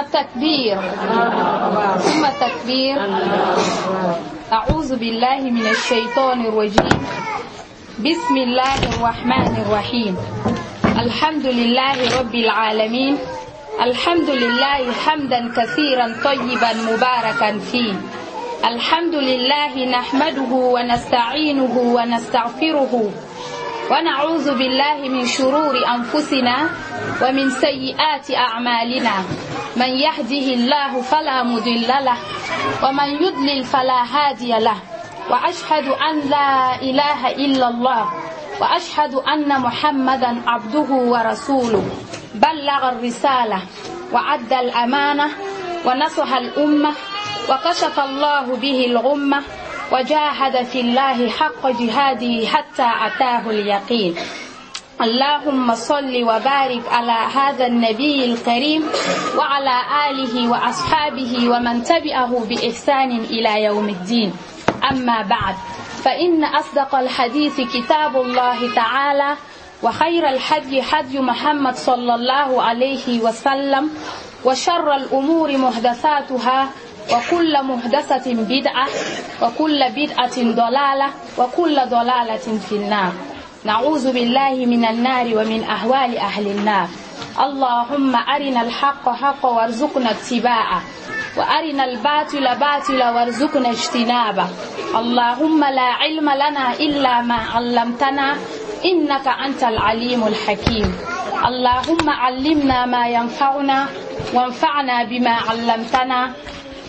التكبير ثم التكبير. أعوذ بالله من الشيطان الرجيم. بسم الله الرحمن الرحيم. الحمد لله رب العالمين. الحمد لله حمدا كثيرا طيبا مباركا فيه. الحمد لله نحمده ونستعينه ونستغفره ونعوذ بالله من شرور أنفسنا ومن سيئات أعمالنا. من يهده الله فلا مضل له ومن يضلل فلا هادي له. وأشهد أن لا إله إلا الله وأشهد أن محمدا عبده ورسوله. بلغ الرسالة وأدى الأمانة ونصح الأمة وكشف الله به الغمة وجاهد في الله حق جهاده حتى أتاه اليقين. اللهم صل وبارك على هذا النبي الكريم وعلى آله وأصحابه ومن تبعه بإحسان إلى يوم الدين. أما بعد، فإن أصدق الحديث كتاب الله تعالى، وخير الهدي هدي محمد صلى الله عليه وسلم، وشر الأمور محدثاتها، وكل محدثة بدعة، وكل بدعة ضلالة، وكل ضلالة في النار. نعوذ بالله من النار ومن أهوال أهل النار. اللهم أرنا الحق حقا وارزقنا اتباعه، وأرنا الباطل باطلا وارزقنا اجتنابه. اللهم لا علم لنا إلا ما علمتنا إنك أنت العليم الحكيم. اللهم علمنا ما ينفعنا، وانفعنا بما علمتنا،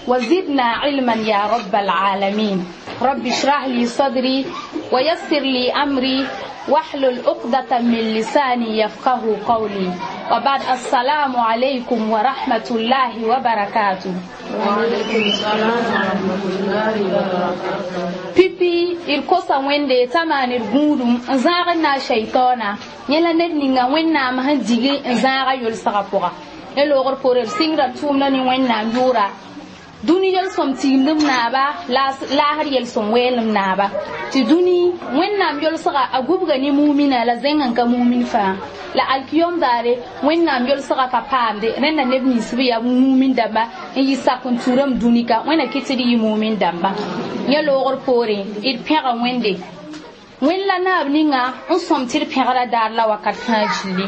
وزدنا علما يا رب العالمين. رب اشرح لي صدري ويسر لي أمري واحلل عقدة من لساني يفقه قولي. وبعد، السلام عليكم ورحمة الله وبركاته. وعليكم السلام ورحمة الله وبركاته. Pipi d kosa Wẽnde t'a maan d gũudum n zãag n na shaitana yẽ la ned ninga Wẽnnaam sẽn dig n zãaga yʋlsgã pʋga. Ne loogr poore d sɩngda tʋʋmda ne Wẽnnaam yʋʋra. Dũni yel-sõm tiimdem naaba laasr yel-sõm weelem naaba tɩ dũni Wẽnnaam yolsga a gubga ne mumina la zẽng n ka mumin fãa la alkiyom daare Wẽnnaam yolsga ka paamde rẽnda neb nins b yaa mumin dãmba n yɩ sak n turam dũni ka Wẽnna kɩ tɩ d yɩ mumin dãmba. Yẽ loogr poorẽ d pẽga Wẽnde Wẽnd la naab ninga n sõm tɩ d pẽgra daar la wakat fãa gilli.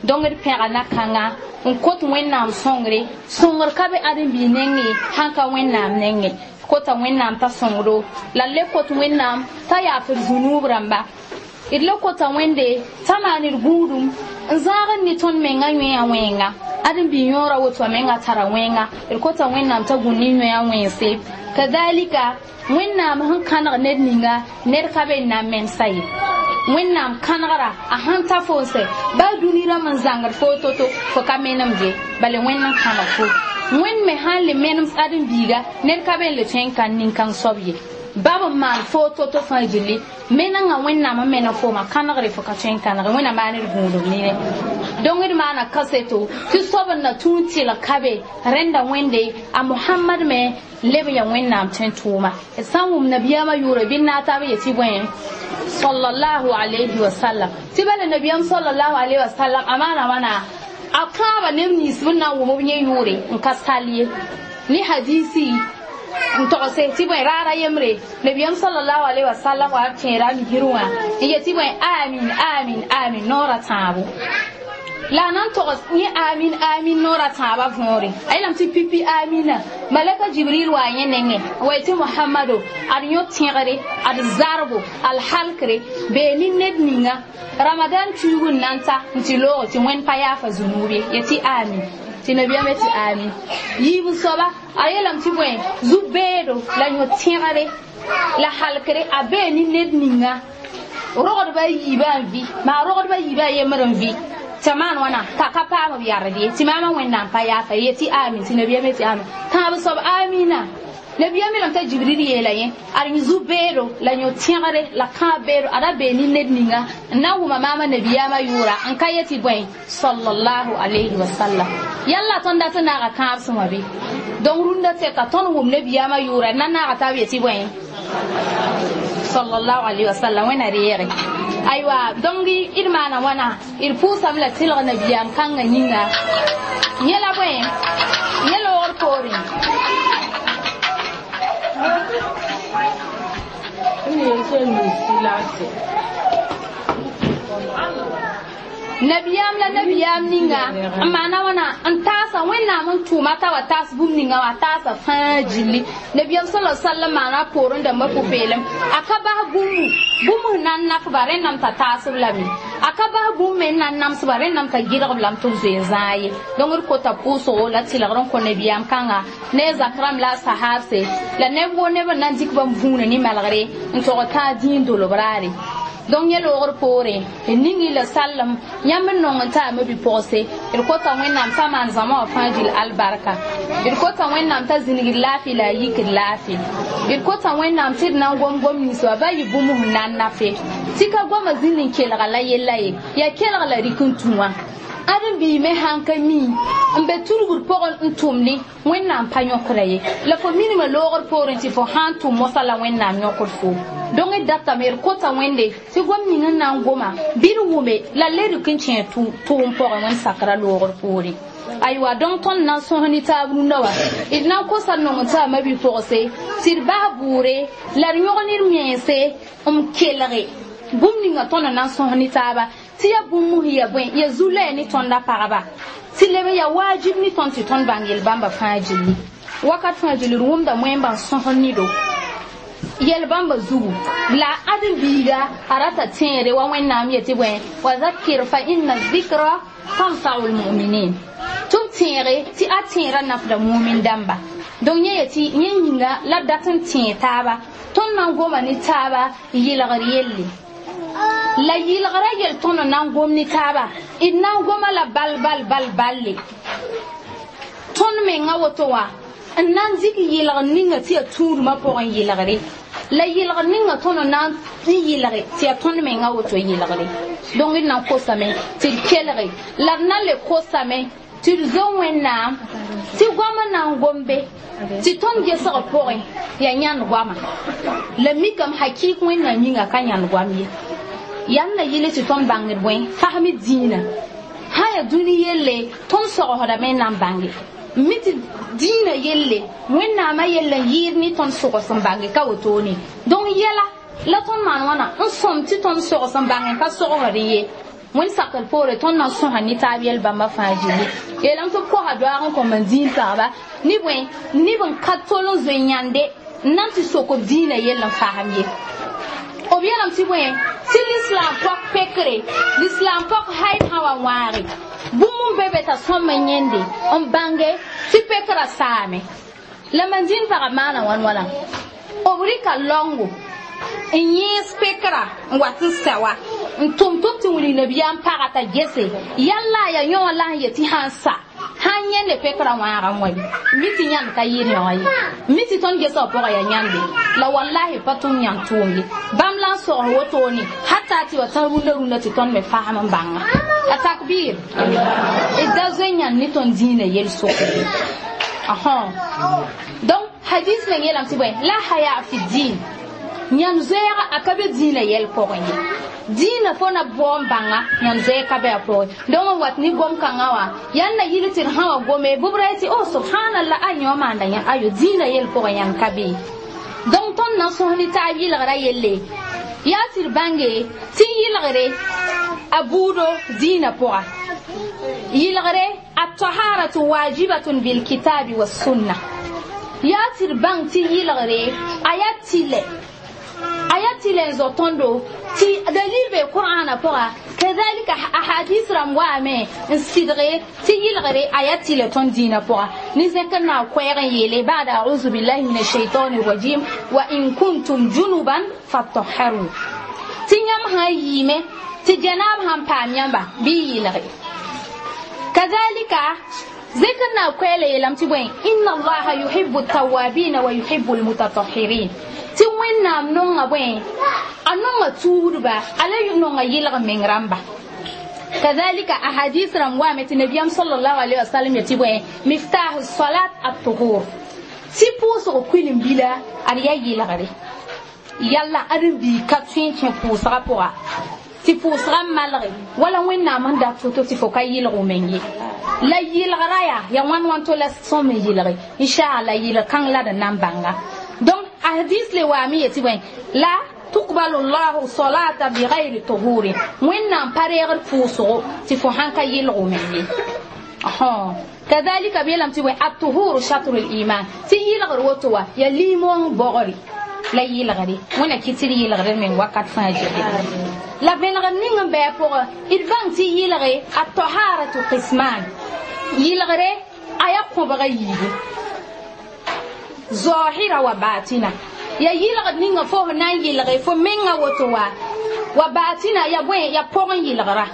Donc d pẽga na-kãnga n kot Wẽnnaam sõngre. Sõngr ka be ãdem-biig nengẽ sãn ka Wẽnnaam nengẽ. Kota Wẽnnaam t'a sõngdo la d le kot Wẽnnaam t'a yaaf d zũnuub rãmba. D le kota Wẽnde t'a maan d gũudum n zãag n ne tõnd menga yõe wẽnga. Ãdem-biig yõora woto a menga tara wẽnga. D kota Wẽnnaam t'a gũ ne yõe wẽnse. Kadalika Wẽnnaam sẽn kãneg ned ninga ned ka be n na n mensa ye. Wẽnnaam kãnegra a sãn ta fo n sɛ baa dũni rãmb n zãngd fo to-to fo ka menemd ye bala Wẽnd n kãneg fo. Wẽnd me sãn le menem ãdem-biiga ned ka be n le tõe n kãn nin-kãng soab ye. Bab n maan fo to-to fãa gilli menengã Wẽnnaam n menem fooma kãnegre fo ka tõe n kãnege. Wẽnna maan d gũudum nine. Donc d maana kaseto tɩ soab n na tũu n tɩlg ka be rẽnda Wẽnde a Mohamad me leb n yaa Wẽnnaam tõe tʋʋma. D sã n wʋm nabiyaamã yʋʋre bɩ n na taab yetɩ bõe sallallahu alayhi wa sallam. Tɩ bala nabiyaam sallallahu alayhi wa sallam a maana wãna a kãaba neb nins b na n wʋm b yẽ yʋʋre n ka sal ye ne hadisi n togse tɩ bõe raara yembre nabiyaam sallallahu alayhi wa sallam wa kẽera a misir wã n yetɩ bõe amin amin amin noora tãabo. La a na n togs yẽ amin amin noora tãabã võore a yeelame tɩ pipi amina malaka Jibril wa yẽ nengẽ wa tɩ Mohamado ad yõ tẽgre ad zarbo alhalkre bee ne ned ninga Ramadan tuug n na n ta n tɩ loog tɩ Wẽnd pa yaafa zũnuub ye yetɩ amin tɩ nabiyaam tɩ amin. Yiib soaba a yeelame tɩ bõe zu-beedo la yõ tẽgre la halkre a bee ne ned ninga rogdba yiibã n vɩ maa rogdba yiibã yembr n vɩ tɩ maan wãna t'a ka paam b yard ye tɩ maamã Wẽnnaam pa yaafa ye tɩ amin tɩ nabiyaam tɩ amin. Tãab soab amina nabiyaam yeelame t'a Jibril yeela yẽ ad zu-beedo la yõ tẽgre la kãab beedo ada bee ne ned ninga n na n wʋma maamã nabiyaamã yʋʋra n ka yetɩ bõe sallallahu alayhi wa sallam. Yalla tõnd dat n naaga kãab sõma bɩ donc rũndã tɛka tõnd wʋm nabiyaamã yʋʋra na n naaga taab yetɩ bõe sallallahu alayhi wa sallam. Wẽnna reege aywa donc d maana wãna d pʋʋsame la tɩlg nabiyaam kãngã yĩnga yẽ la bõe yẽ Nabiyam la nabiyam ninga maana wãna n taasa wẽnnaam n tʋʋma t'a wa taas bũmb ninga wã taasa fãa gilli nabiyam sala sallam maana poorẽ dãmbã pʋ-peelem a ka bas bũmbu bũmb sẽn na n nafba rẽndame t'a taasb lame a ka bas bũmb me n na n namsba rẽndame t'a gɩlgb lame tɩ b zoe n zãag ye donc d kota pʋʋsgo la tɩlgr n kõ nabiyam kãnga ne a zak rãmb la a sahaabse la neb woo neb n na n dɩk bãmb vũuna ne malgre n tog tãag dĩin dolb raare donc yẽ loogr poore d ning la sallem yãmb n nong n taama bi-pʋgse d kota wẽnnaam t'a maan zãma wã fãa gil albarka d kota wẽnnaam t'a zĩnigd laafɩ la a yikd laafɩ d kota wẽnnaam tɩ d na n gom gom nins wa ba yɩ bũmb sẽn na n nafe tɩ ka goamã zĩnd n kelga la yella ye yaa kelg la rɩk n tũ wã ãdem-biig me sãn ka mi n be tudgd pʋgẽ n tʋmdẽ wẽnnaam pa yõkda ye la fo minimã loogr poorẽ tɩ fo sã n tʋm mosã la wẽnnaam yõkd fo donc d datame d kota wẽnde tɩ gom ning n na n goma bɩ d wʋme la le rɩk n kẽ tʋʋm pʋgẽ wẽnd sakra loogr poore aywa donc tõnd na n sõs ne taab rũndã wã d na n kosa nong n taama bi-pʋgse tɩ d bas bʋʋre la d yõg ne d mense n kelge bũmb ninga tõnd na n sõs ne taaba tɩ ya bũmb ya bõe ya zu-loɛɛ ne tõnda pagba tɩ leb ya waajib ne tõnd tɩ tõnd bãng yel-bãmba fãa gilli wakat fãa gilli d wʋmda wẽmba n sõsd nedo yel-bãmba zugu la ãdem-biiga a rata tẽede wa wẽnnaam yetɩ bõe wa zakir fa inna zikra tanfau lmuminin tɩ b tẽege tɩ a tẽera nafda mumin dãmba donc yẽ yetɩ yẽ yĩnga la d dat n tẽe taaba tõnd na n goma ne taaba yɩlgr yelle la yɩlgra yel tõnd na n gom ne taaba d na n goma la bal bal bal balle tõnd menga woto wã n na n dɩk yɩlgr ninga tɩ yaa tũudmã pʋgẽ yɩlgre la yɩlgr ninga tõnd na n yɩlge tɩ yaa tõnd menga woto yɩlgre donc d na n kosame tɩ d kelge la d na n le kosame tɩ d zo wẽnnaam tɩ goamã na n gombe tɩ tõnd gesg pʋgẽ yaa yãnd goama la mikame hakɩɩk wẽnnaam yĩnga ka yãnd goam ye yãmb na yɩl tɩ tõnd bãngd bõe fasem dĩinã sã yaa dũni yelle tõnd sogsdame n na n bãnge mi tɩ dĩinã yelle wẽnnaamã yell n yɩɩd ne tõnd sogs n bãnge ka wotone donc yɛla la tõnd maan wãna n sõm tɩ tõnd sogs n bãng n ka sogsd ye wẽnd sakr poore tõnd na n sõsa ne taab yel-bãmba fãa gilli yeelame tɩ b kosa doaag n kõ man dĩin pagba ne bõe neb n ka tol n zoe yãnde n na n tɩ sok b dĩinã yell n fasem ye b yeelame tɩ bõe tɩ lislaam pɔk pekre lislaam pɔk haid sã wa wãage bũmb n be be t'a sõm n yẽnde n bãnge tɩ pekrã saame la man dĩin pagã maana wãn wãna b rɩka laongo n yẽes pekrã n wat n sɛ wa n tʋm tɩ b tɩ wilg nabiyaam pagã t'a gese yalla yaa yõ la sẽn yet tɩ sã n sa sãn yẽnde pekrã wãagã wã ye mi tɩ yãnd ka yɩɩd yõ ye mi tɩ tõnd gesg pʋgã yaa yãnde la wallahi pa tʋm yãnd tʋʋm ye bãmb la n sogs wotone hata tɩ wa tã rũndã rũndã tɩ tõnd me fasem n bãnga a takbir d da zoe yãnd ne tõnd dĩinã yel-sʋk donc hadis meng yeelame tɩ bõe la haya fi din yãnd zoɛɛga a ka be dĩinã yɛl pʋgẽ ye dĩinã fo na bao n bãnga yãnd zoɛɛg ka be a pʋgẽ donc n wat ne gom-kãngã wã yãnd na yɩl tɩ d sã wa gome bʋb ra tɩ o subhanallah a yõ maanda yã ayo dĩinã yel pʋgẽ yãnd ka be donc tõnd na n sõs ne taab yɩlgrã yelle yaa tɩ d bãnge tɩ yɩlgre a buudo dĩinã pʋga yɩlgre a taharatu wajibatun bilkitabi wassunna yaa tɩ d bãng tɩ yɩlgre a yaa tɩlɛ a yaa tɩlɛ n zo tõndo tɩ dalil be qur'ana pʋga kadhalika ahadis rãmb waame n sɩdge tɩ yɩlgre a yaa tɩlɛ tõnd dĩinã pʋga ne zẽkr na koɛɛg n yeele bada auzu billahi min ashaitani rajim wa in kuntum junuban fatahharu tɩ yãmb sã n yɩɩme tɩ janaab sãn paam yãmba bɩ yɩlge kadhalika zẽkr na koɛɛla yeelame tɩ bõe inna allaha yuhibu tawabina wa yuhibu almutatahirin tɩ wẽnnaam nonga bõe a nonga tuudba a la nonga yɩlg meng rãmba kadhalika ahadis rãmb waame tɩ nabiyam sallallahu alaihi wasallam yetɩ bõe miftahu salat at-tuhur tɩ pʋʋsg kuilim-bila ad yaa yɩlgre yalla ãdem-biig ka tõe n kẽ pʋʋsgã pʋga tɩ pʋʋsgã malge wala wẽnnaam n dat foto tɩ fo ka yɩlg w meng ye la yɩlgrã yaa ya wãn wãn to la sõm n yɩlge inchallah yɩlg kãng la d na n bãnga donc hadis le waame yetɩ bõe la yuqbalu llahu salata bigayri tuhurin wẽnnaam pa reegd pʋʋsgo tɩ fo sãn ka yɩlg meng ye kadhalika b yeelame tɩ bõe atuhuru shatru liman tɩ yɩlgr woto wa ya limong bogre la yɩlgre wẽnna kɩ tɩ d yɩlgr meng wakat fãa gilli la vẽnegr ning n bɩ a pʋgẽ d bãng tɩ yɩlge a taharatu qisman yɩlgre a yaa kõbga yiibu zahira wa batina ya yɩlgd ninga fo f na n yɩlge fo menga woto wa wa batina ya bõe ya pʋgẽ yɩlgra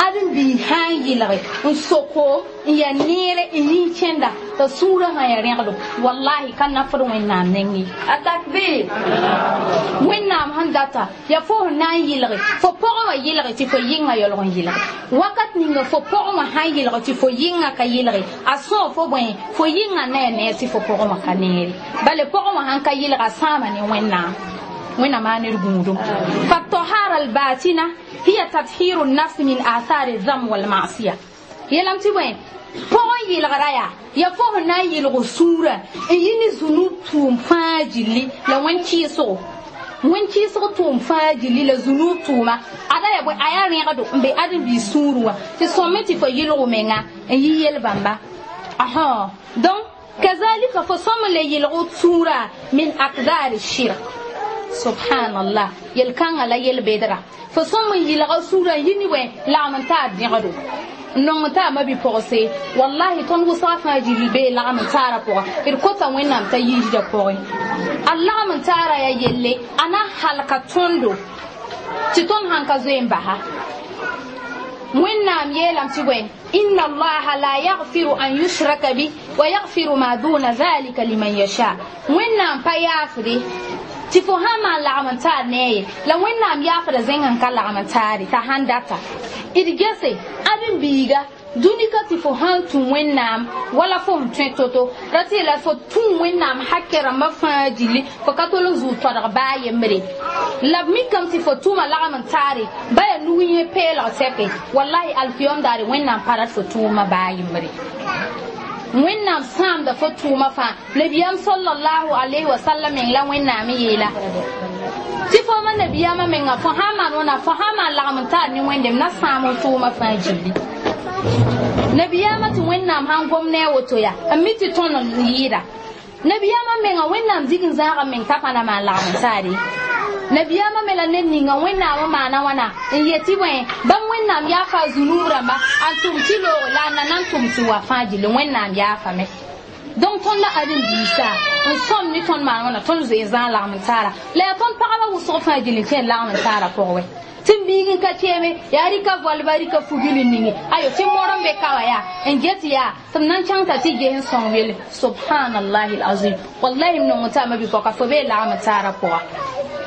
ãdem-biig sã n yɩlge n soko n ya neere n yĩn kẽnda t'a sũurã sã ya rẽgdo wallahi ka nafd wẽnnaam neng ye التكبير wẽnnaam sẽn data ya fo f na n yɩlge fo pʋgẽ wã yɩlge tɩ fo yɩnga yaoolg n yɩlge wakat ninga fo pʋgẽ wã sã n yɩlge tɩ fo yɩnga ka yɩlge a sõo fo bõe fo yɩnga na ya neer tɩ fo pʋgẽ wã ka neere bale pʋgẽ wã sãn ka yɩlga a sãama ne wẽnnaam wẽnnaam maa ned gũudum fatahara albatina hiya tathiru nafs min athari dham walmasiya yeelame tɩ bõe pʋgẽ yɩlgra yaa ya fo f na n yɩlg sũurã n yɩ ne zũnub tʋʋm fãa gilli la wẽn kɩɩsgo wẽn kɩɩsg tʋʋm fãa gilli la zũnub tʋʋma ada ya bõe a yaa rẽgdo n be ãdem-biis sũurẽ wã tɩ sõme tɩ fo yɩlg menga n yɩ yel-bãmba donc kazalika fo sõm n le yɩlg sũurã min akdar shirk subhanallah yel-kãngã la yel-bedra fo sõm n yɩlga sũurã n yɩ ne bõe lagm n taar dẽgdo n nong t'a mabi-pɔgse wallahi tõnd wʋsga fãa gilli bee lagm n taara pʋga d kota wẽnnaam t'a yiisda pʋgẽ a lagm n taara yaa yelle a na halka tõndo tɩ tõnd sãn ka zoe n basa wẽnnaam yeelame tɩ bõe inna allaha la yaghfiru an yushraka bih wa yaghfiru ma duna dhalika liman yasha wẽnnaam pa yaafde tɩ fo sã n maan lagm n taar ne a ye la wẽnnaam yaafda zẽng n ka lagm n taare t'a sãn data d gese ãdem-biiga dũni ka tɩ fo sãn tũ wẽnnaam wala fo sẽn tõe to-to ra tɩ la fo tũ wẽnnaam hakɛ rãmbã fãa gilli fo ka tol n zũu toadg baa yembre la b mikame tɩ fo tʋma lagm n taare ba yaa nug yẽ peelg sɛke wallahi alkiyom daare wẽnnaam pa rat fo tʋʋmã baa yembre wẽnnaam sãamda fo tʋʋmã fãa nabiyaam sallallahu alayhi wa sallam meng la wẽnnaam n yeela tɩ fo ma nabiyaamã menga fo sã n maan wãna fo sã n maan lagm n taar ne wẽndem na sãam n tʋʋmã fãa gilli nabiyaamã tɩ wẽnnaam sãn gom ne a woto yaa n mi tɩ tõnd n yɩɩda nabiyaamã menga wẽnnaam dig n zãaga meng t'a pa na maan lagm n taare nabiyaamã me la ned ninga wẽnnaam n maana wãna n yetɩ bõe bãmb wẽnnaam yaafa a zũnuub rãmba a tʋm tɩ loogo la a na na n tʋm tɩ wa fãa gilli wẽnnaam yaafame donc tõnd la ãdem-biisã n sõm ne tõnd maan wãna tõnd zoe n zãag lagm n taara la yaa tõnd pagba wʋsg fãa gilli n kẽ lagm n taara pʋgẽ wɛ tɩ m biig n ka keeme yaa rɩka voalba rɩka fugil n ninge ayo tɩ mor n be ka wã yaa n get yaa tɩ m na n kẽng t'a tɩ ges n sõng wele subhanallahi alazim wallahi m nong t'a mabi-pɔka fo bee lagm n taara pʋga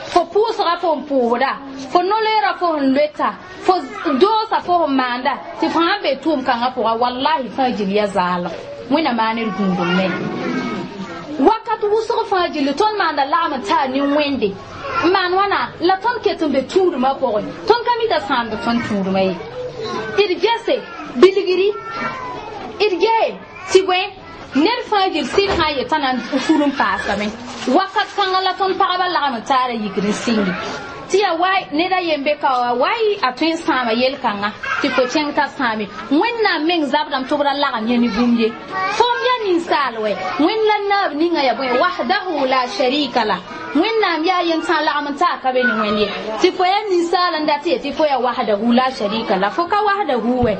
fo pʋʋsga fo n pʋʋsda fo no-loeera fo sẽn loeta fo doosa fo sẽn maanda tɩ fo sãn be tʋʋm kãngã pʋga wallahi fãa gil ya zaalem wẽnna maa ned gũudum me wakat wʋsg fãa gilli tõnd maanda lagm n taar ne wẽnde n maan wãna la tõnd ket n be tũudmã pʋgẽ tõnd ka mita sãamd tõnd tũudmã ye d gese bilgri d gee tɩ bõe ned fãa gil sɩd sã n yetã na n fur n paasame wakat kãngã la tõnd pagba lagm n taara yikr n sɩngi tɩ yaa waay ned a yen be ka wa waay a tõe n sãama yel-kãngã tɩ fo kẽng t'a sãame wẽnnaam meng zabdame tɩ b ra lagem yẽ ne bũmb ye fõm yaa ninsaal wɛ wẽnd la naab ninga yaa bõe wahdahu la sharika la wẽnnaam yaa yem sã n lagm n taa ka be ne wẽnd ye tɩ fo yaa ninsaal n dat ye tɩ fo yaa wahdahu la sharika la fo ka wahdahu wɛ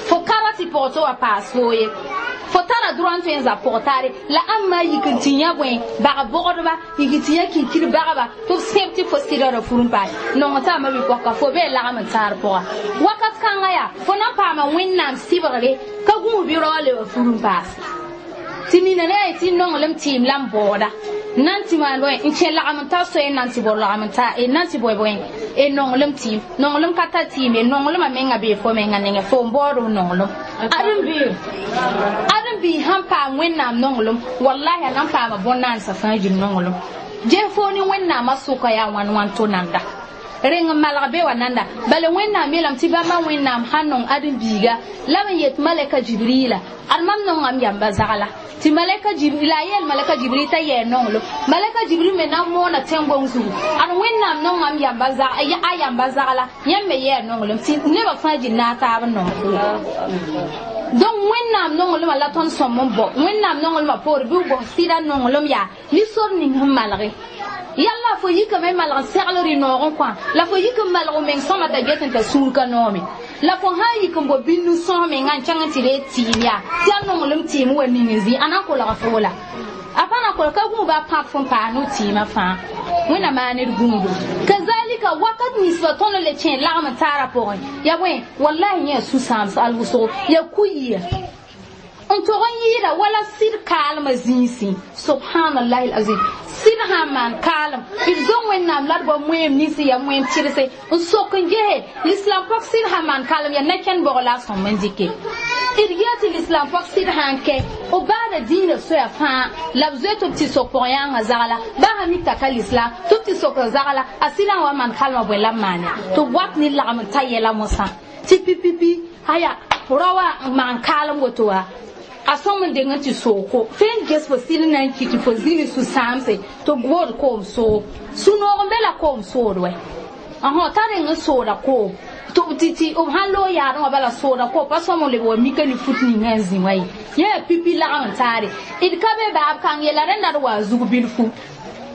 fo ka ra tɩ pʋgtɩ wa paas foo ye fo tara droit n tõe n zab pʋg taare la ãmb maa yik n tɩ yã bõe bag bogdba yik tɩ yã kinkir bagba tɩ b sẽb tɩ fo sɩda ra fur n paas nong t'a mabi-pɔka fo bee lagm n taar pʋga wakat kãngã yaa fo na n paama wẽnnaam sɩbgre ka gũus bɩ rao le wa fur n paas tɩ nina ne yaa tɩ nonglem tɩɩm la n baooda nan tɩ maan bõe n kẽ lagm n tar soe n nan tɩ bao lagm n tar nan tɩ bõe bõe e nonglem tɩɩm nonglem ka tar tɩɩm ye nonglmã menga bee fo menga nengẽ fo n baood f nonglem ãdem-biig sãn paam wẽnnaam nonglem wallahi a na n paama bõn-naansã fãa gil nonglem ges fo ne wẽnnaamã sʋka yaa wãn wãn to nanda Rẽng n malg be wa nanda bala Wẽnnaam yeelame tɩ bãmba Wẽnnaam sãn nong ãdem-biiga la b n yet malɛka Jibrila ad mam nongame yamba zagla tɩ malɛka Jibril la a yeel malɛka Jibril t'a yɛɛ nonglem malɛka Jibril me na n moona tẽn-gong zugu ad Wẽnnaam nongame yamba a yamba zagla yãmb me yɛɛ nonglem tɩ nebã fãa gil na a taab n nong donc Wẽnnaam nonglmã la tõnd sõm n bao Wẽnnaam nonglmã poore bɩ b gos sɩda nonglem yaa ne sor ning sẽn malge yalla fo yikame malg n segl rɩ-noog n kõ la fo yik n malg meng sõma t'a get n t'a sũur ka noome la fo sã n yik n bo bĩnd sõs menga n kẽng n tɩ ree tɩɩm yaa tɩ a nonglem tɩɩm wa ning n zĩ a na n kolga fo la a pa na kolg ka gũu ba pãb fõn paas no tɩɩmã fãa Wẽnna maan d gũudo kazalika wakat ninsbã tõnd le kẽ lagm n taara pʋgẽ ya bõe wallahi yẽ sũ-sãams al wʋsgo ya ku-yia n tog n yɩɩda wala sɩd kaalmã zĩisẽ subhanallahi alazim sɩd sãn maan kaalem d zo Wẽnnaam la d bao moeem ninsẽ yaa moeem tɩrse n sok n gese l'islam pɔg sɩd sãn maan kaalem yaa na-kẽnd bog la a sõm n dɩke d yaa tɩ l'islam pɔg sɩd sãn kɛ b baada dĩinã soya fãa la b zoe tɩ b tɩ sok pʋg-yãangã zagla baa sã mik t'a ka l'islam tɩ b tɩ sok n zagla a sɩdã wa maan kalmã bõe la b maan ya tɩ b wat ne lagm n ta yɛla mosã tɩ pipipi aya rao wã n maan kaalem woto wa a sõm n deng n tɩ sooko tõe n ges fo sɩd na n kɩ tɩ fo zĩ ne sũ-sãamse tɩ b bood koom soog sũ-noog n be la koom sood wɛ t'a reng n sooda koom tɩ b sãn loog yaadẽ wã bala sooda koom pa sõm n leb wa mika ne fut ninga n zĩ wa ye yẽ yaa pipi lagm n taare d ka be baab kãng yela rẽnda d wa zug bilfu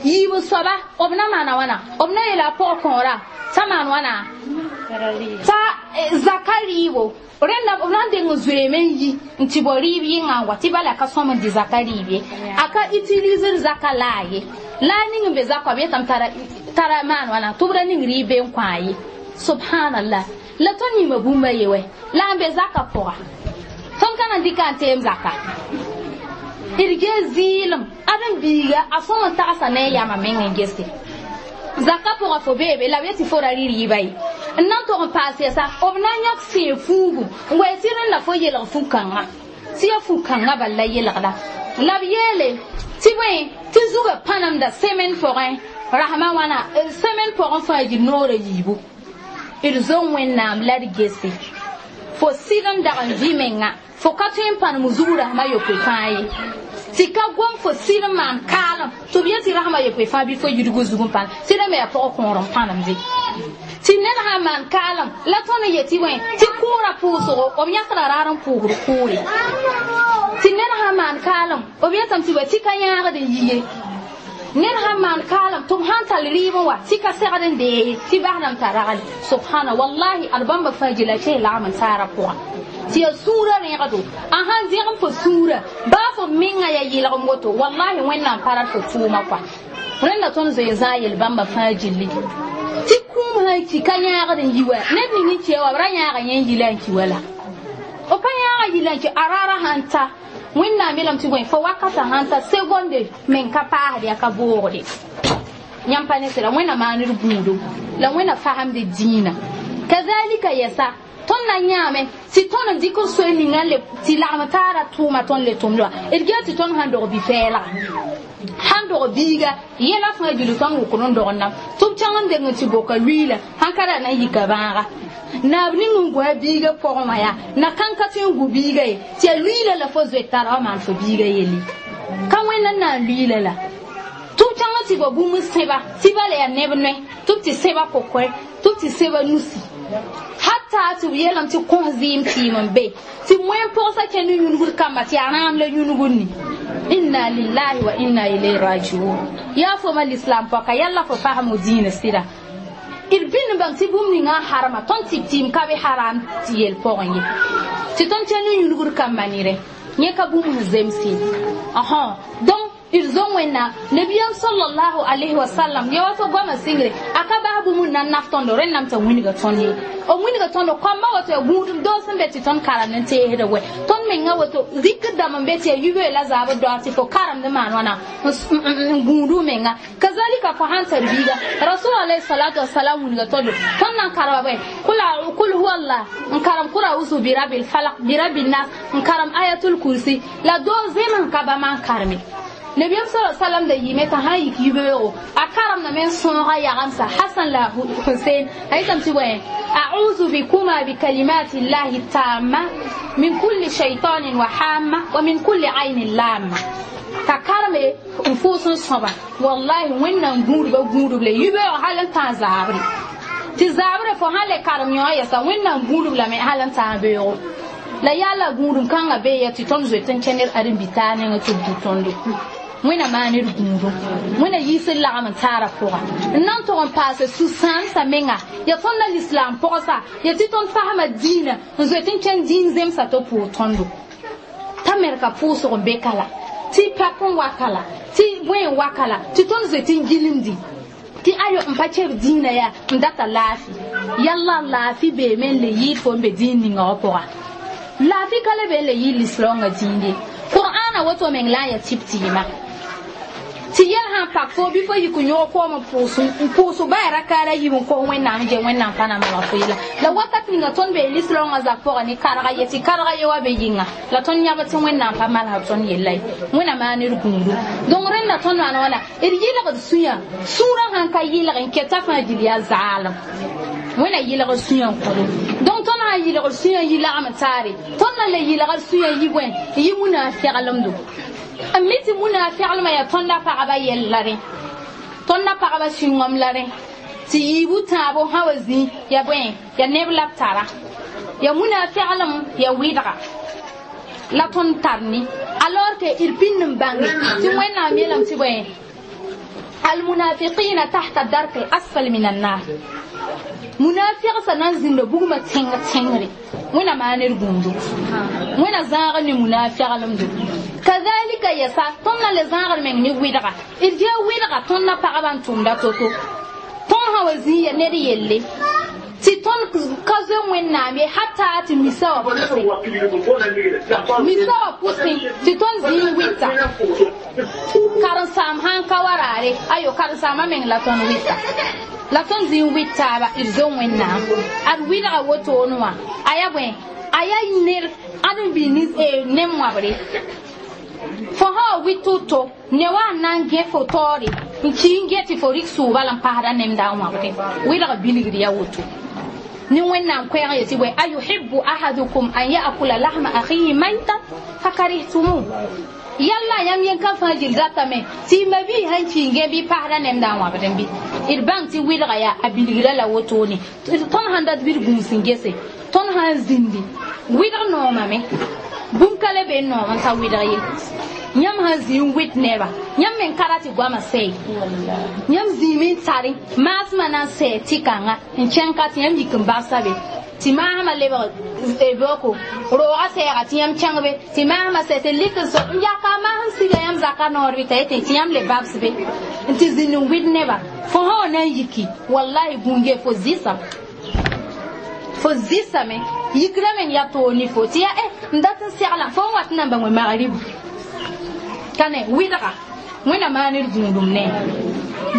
yiib soaba b na maana wãna b na yeela a pʋg kõora t'a maan wãna t'a zaka rɩɩbo rẽnda b na n deng n zoeeme n yi n tɩ bao rɩɩb yɩngã n wa tɩ bala ka sõm n dɩ zaka rɩɩb ye a ka utilisr zaka laa ye laa ning n be zakã b yetame tara maan wãna tɩ b ra ning rɩɩb be n kõ ye subhanallah la tõnd yĩma bũmba ye wɛ la n be zaka pʋga tõnd ka na n dɩka n teem zaka d gee zɩɩlem ãdem-biiga a sõm n tagsa ne a yamã meng n gese zaka pʋgã fo beebe la b yetɩ fo ra rɩ rɩɩba ye n na n tog n paas yɛsa b na n yãk sẽe fuugu n wa tɩ rẽnda fo yelg fu-kãngã tɩ ya fu-kãngã bal la yelgda la b yeele tɩ bõe tɩ zugã pãnemda semaine pʋgẽ rasmã wãna semaine pʋgẽ fãa yir noorã yiibu d zo Wẽnnaam la d gese fo sɩd n dag n vɩ menga fo ka tõe n pãnem zug rasmã yopoe fãa ye tɩ ka gom fo sɩd n maan kaalem tɩ b yetɩ rasmã yopoe fãa bɩ fo yidg zug n pãnem tɩ rẽ me yaa pʋg kõor n pãnemde tɩ ned sãn maan kaalem la tõnd n yetɩ bõe tɩ kʋʋra pʋʋsgo b yãkda raar n pʋʋsd kʋʋre tɩ ned sãn maan kaalem b yetame tɩ bõe tɩ ka yãagd n yi ye ned sãn maan kaalem tɩ b sãn tall rɩɩb n wa tɩ ka segd n deese tɩ basdame t'a ragl subhana wallahi ad bãmba fãa gila kẽ lagm n taara pʋga tɩ ya sũurã rẽgdo a sãn zẽgem fo sũurã baa fo menga ya yɩlgem woto wallahi Wẽnnaam pa rat fo tʋʋma kɔa rẽnda tõnd zoe n zãag yel bãmba fãa gilli tɩ kũum sãn ki ka yãagd n yi wa ned ning n kia wa b ra yãaga yẽ n yi la n ki wa la b pa yãaga yi la n ki a raara sãn ta Wẽnnaam yeelame tɩ bõe fo wakatã sãn ta segonde meng ka paasd yaa ka boogde yãmb pa ne sɩda Wẽnna maan d gũudo la Wẽnna fasemd dĩinã kazalika yɛsa tõnd na yãame tɩ tõnd n dɩk n soe ninga le tɩ lagm taara tʋʋma tõnd le tʋmd wã d gee tɩ tõnd sãn dog bi-pɛɛlga sãn dog biiga yɛla fãa gil tõnd wʋkd n dog nam tɩ b kẽng n deng n tɩ boka luiila sãn ka ra na n yika bãaga naab ning n gõ a biiga pʋgẽ wã yaa na kãn ka tõe n gu biiga ye tɩ ya luiila la fo zoe tara wa maan fo biiga yelle ka Wẽnna n na n luiila la tɩ b kẽng n tɩ ba bũmb sẽba tɩ bala yaa neb noe tɩ b tɩ sẽba kokoɛ tɩ b tɩ sẽba nusi hatta tɩ b yeelame tɩ kõs zɩɩm tɩɩm n be tɩ moen pʋgsa kẽ ne yũnugd kamba tɩ yaa rãam la yũnugd ni inna lillahi wa inna ilayhi rajiun yaa fo ma l'islam pɔka yalla fo fasmo dĩinã sɩda d bĩnd n bãng tɩ bũmb ninga n harma tõnd tɩ tɩɩm ka be haram tɩ yel pʋgẽ ye tɩ tõnd kẽ ne yũnugd kamba nere yẽ ka bũmb sẽn zemse donc d zo Wẽnnaam nabiyam sallallahu alayhi wa sallam ya wato goama sɩngre a ka bas bũmb n na n naf tõndo rẽnname t'a wilga tõnd ye b wilga tõndo kõmba woto ya gũudum doos sẽn be tɩ tõnd karemd n teesda wɛ tõnd menga woto rikd dãmb n be tɩ ya yibe la zaab doa tɩ fo karemd maan wãna n gũudu menga kazalika fo sãn tar biiga rasul alayhi salatu wasalam wilga tõndo tõnd na n karema bõe kul huwa allah n karem kura usu birabil falak birabil nas n karem ayatul kursi la doo zem n ka bãmb n kareme Nabiyaam sala salam da yɩɩme t'a sã n yik yibeoogo a karemdame n sõoga yagemsa Hasan la Husein a yetame tɩ bõe a'udhu bikuma bikalimati llahi tamma min kulli shaytanin wa hamma wa min kulli aynin lamma t'a kareme n fʋʋs n sõba wallahi wẽnnaam gũudba gũudb le yibeoog hal n tã zaabre tɩ zaabrã fo sã le karem yõ yɛsa wẽnnaam gũudb lame hal n tã beoogo la yaa la gũudum kãngã bee ya tɩ tõnd zoet n kẽnd ãdem-bi-taar nengẽ tɩ b dʋ tõndo wẽna maan d gũudum wẽna yiis n lagm n taara pʋga n na n tog n paase sũ-sãamsã menga ya tõnd na lislaam pʋgsa ya tɩ tõnd fasma diinã n zoet n kẽnd dĩin zemsa tɩ pʋʋg tõndo t'a merka pʋʋsg n be ka la tɩ pap n waka la tɩ bõe n waka la tɩ tõnd zoet n gilmdi tɩ ayo n pa kɛb dĩinã yaa n data laafɩ yalla laafɩ beeme n le yɩɩd fo n be dĩin ninga wã pʋga laafi ka le be n le yɩ lislaoongã dĩinde qur'aana woto meng la n ya tɩp tɩɩma tɩ yɛl sã n pak fo bɩ fo yik n yõg koom n pʋʋs baa rakaara yiib n kos wẽnnaam je wẽnnaam pa na malg fo yela la wakat ninga tõnd bee lislaoongã zak pʋgã ne karga ye tɩ karga ye wa be yɩnga la tõnd yãb tɩ wẽnnaam pa malsd tõnd yella ye wẽna maan d gũudu donc rẽnda tõnd maan wãna d yɩlgd sũyã sũurã sãn ka yɩlg n keta fãa gil yaa zaalem wẽna yɩlgd sũyã n kõdo donc tõnd sã n yɩlgd sũyã yi lagm taare tõnd na le yɩlgd sũyã yi bõe n yɩ munaafɛglemdo n mi tɩ munaafɛglmã yaa tõnda pagba yɛl la rẽ tõnda pagba sũ-wãm la rẽ tɩ yiibu tãabo sã wa zĩ ya bõe ya neb la b tara ya munaafɛglem ya wɩdga la tõnd tar ne alors que d pĩnd n bãnge tɩ wẽnnaam yeelame tɩ bõe almunafiqina tahta dark al asfal min annar munafiqsa nan zĩnda bugmã tẽng tẽngre wẽna maan d gũudo wẽna zãagr ne munaafɛglemdo kazalika yɛsa tõnd na le zãagr meng ne wɩdga d gee wɩdga tõnd na pagba n tʋmda to-to tõnd sã wa zĩ ya ned yelle tɩ tõnd ka zoe wẽnnaam ye hata tɩ misa wã pʋsẽ misa wã pʋsẽ tɩ tõnd zĩ n wɩta karen-saam sãn ka wa raare ayo karen-saamã meng la tõnd wɩta la tõnd zĩ n wɩt taaba d zo wẽnnaam ad wɩdga wotone wã a yaa bõe a yaa ner ãd n bɩ nem wãbre fo sã wa wɩt to-to ne wa n na n gẽ fo taoore n ki n get tɩ fo rɩk sʋʋba la n pasda nemda n wãbdẽ wɩdg bilgd yaa woto ne wẽnnaam koɛɛg yetɩ bõe ayuhibu ahadukum an ya'kula lahma akhihi maytan fakarihtumu yalla yãmb yen-kã fãa gil datame tɩ y mabii sãn ki n gẽ bɩ pasda nemda n wãbdẽ bɩ d bãng tɩ wɩlga yaa a bilgra la wotone tõnd sãn dat bɩ d gũus n gese tõnd sã n zĩndi wɩdg noomame bũmb ka le be n noom n ta wɩdg ye yãmb sãn zĩ n wɩt neba yãmb meng ka ra tɩ goamã sɛɛ yãmb zĩime n tare maasmã na n sɛɛ tɩ-kãnga n kẽng ka tɩ yãmb yik n bagsa be tɩ maasmã lebg boko roogã sɛɛga tɩ yãmb kẽng be tɩ maasmã sɛ tɩ lik n so n yaka maasm siga yãmb zaka noor bɩ t'a yetẽ tɩ yãmb le babs be n tɩ zĩnd n wɩd neba fo sã wa na n yiki wallahi gũnge fo zɩsam fo zɩsame yikrã meng yaa toor ne fo tɩ yaa n dat n segla fo n wat n na n bãng magribu ka ne wɩdga wẽna maan d gũudum ne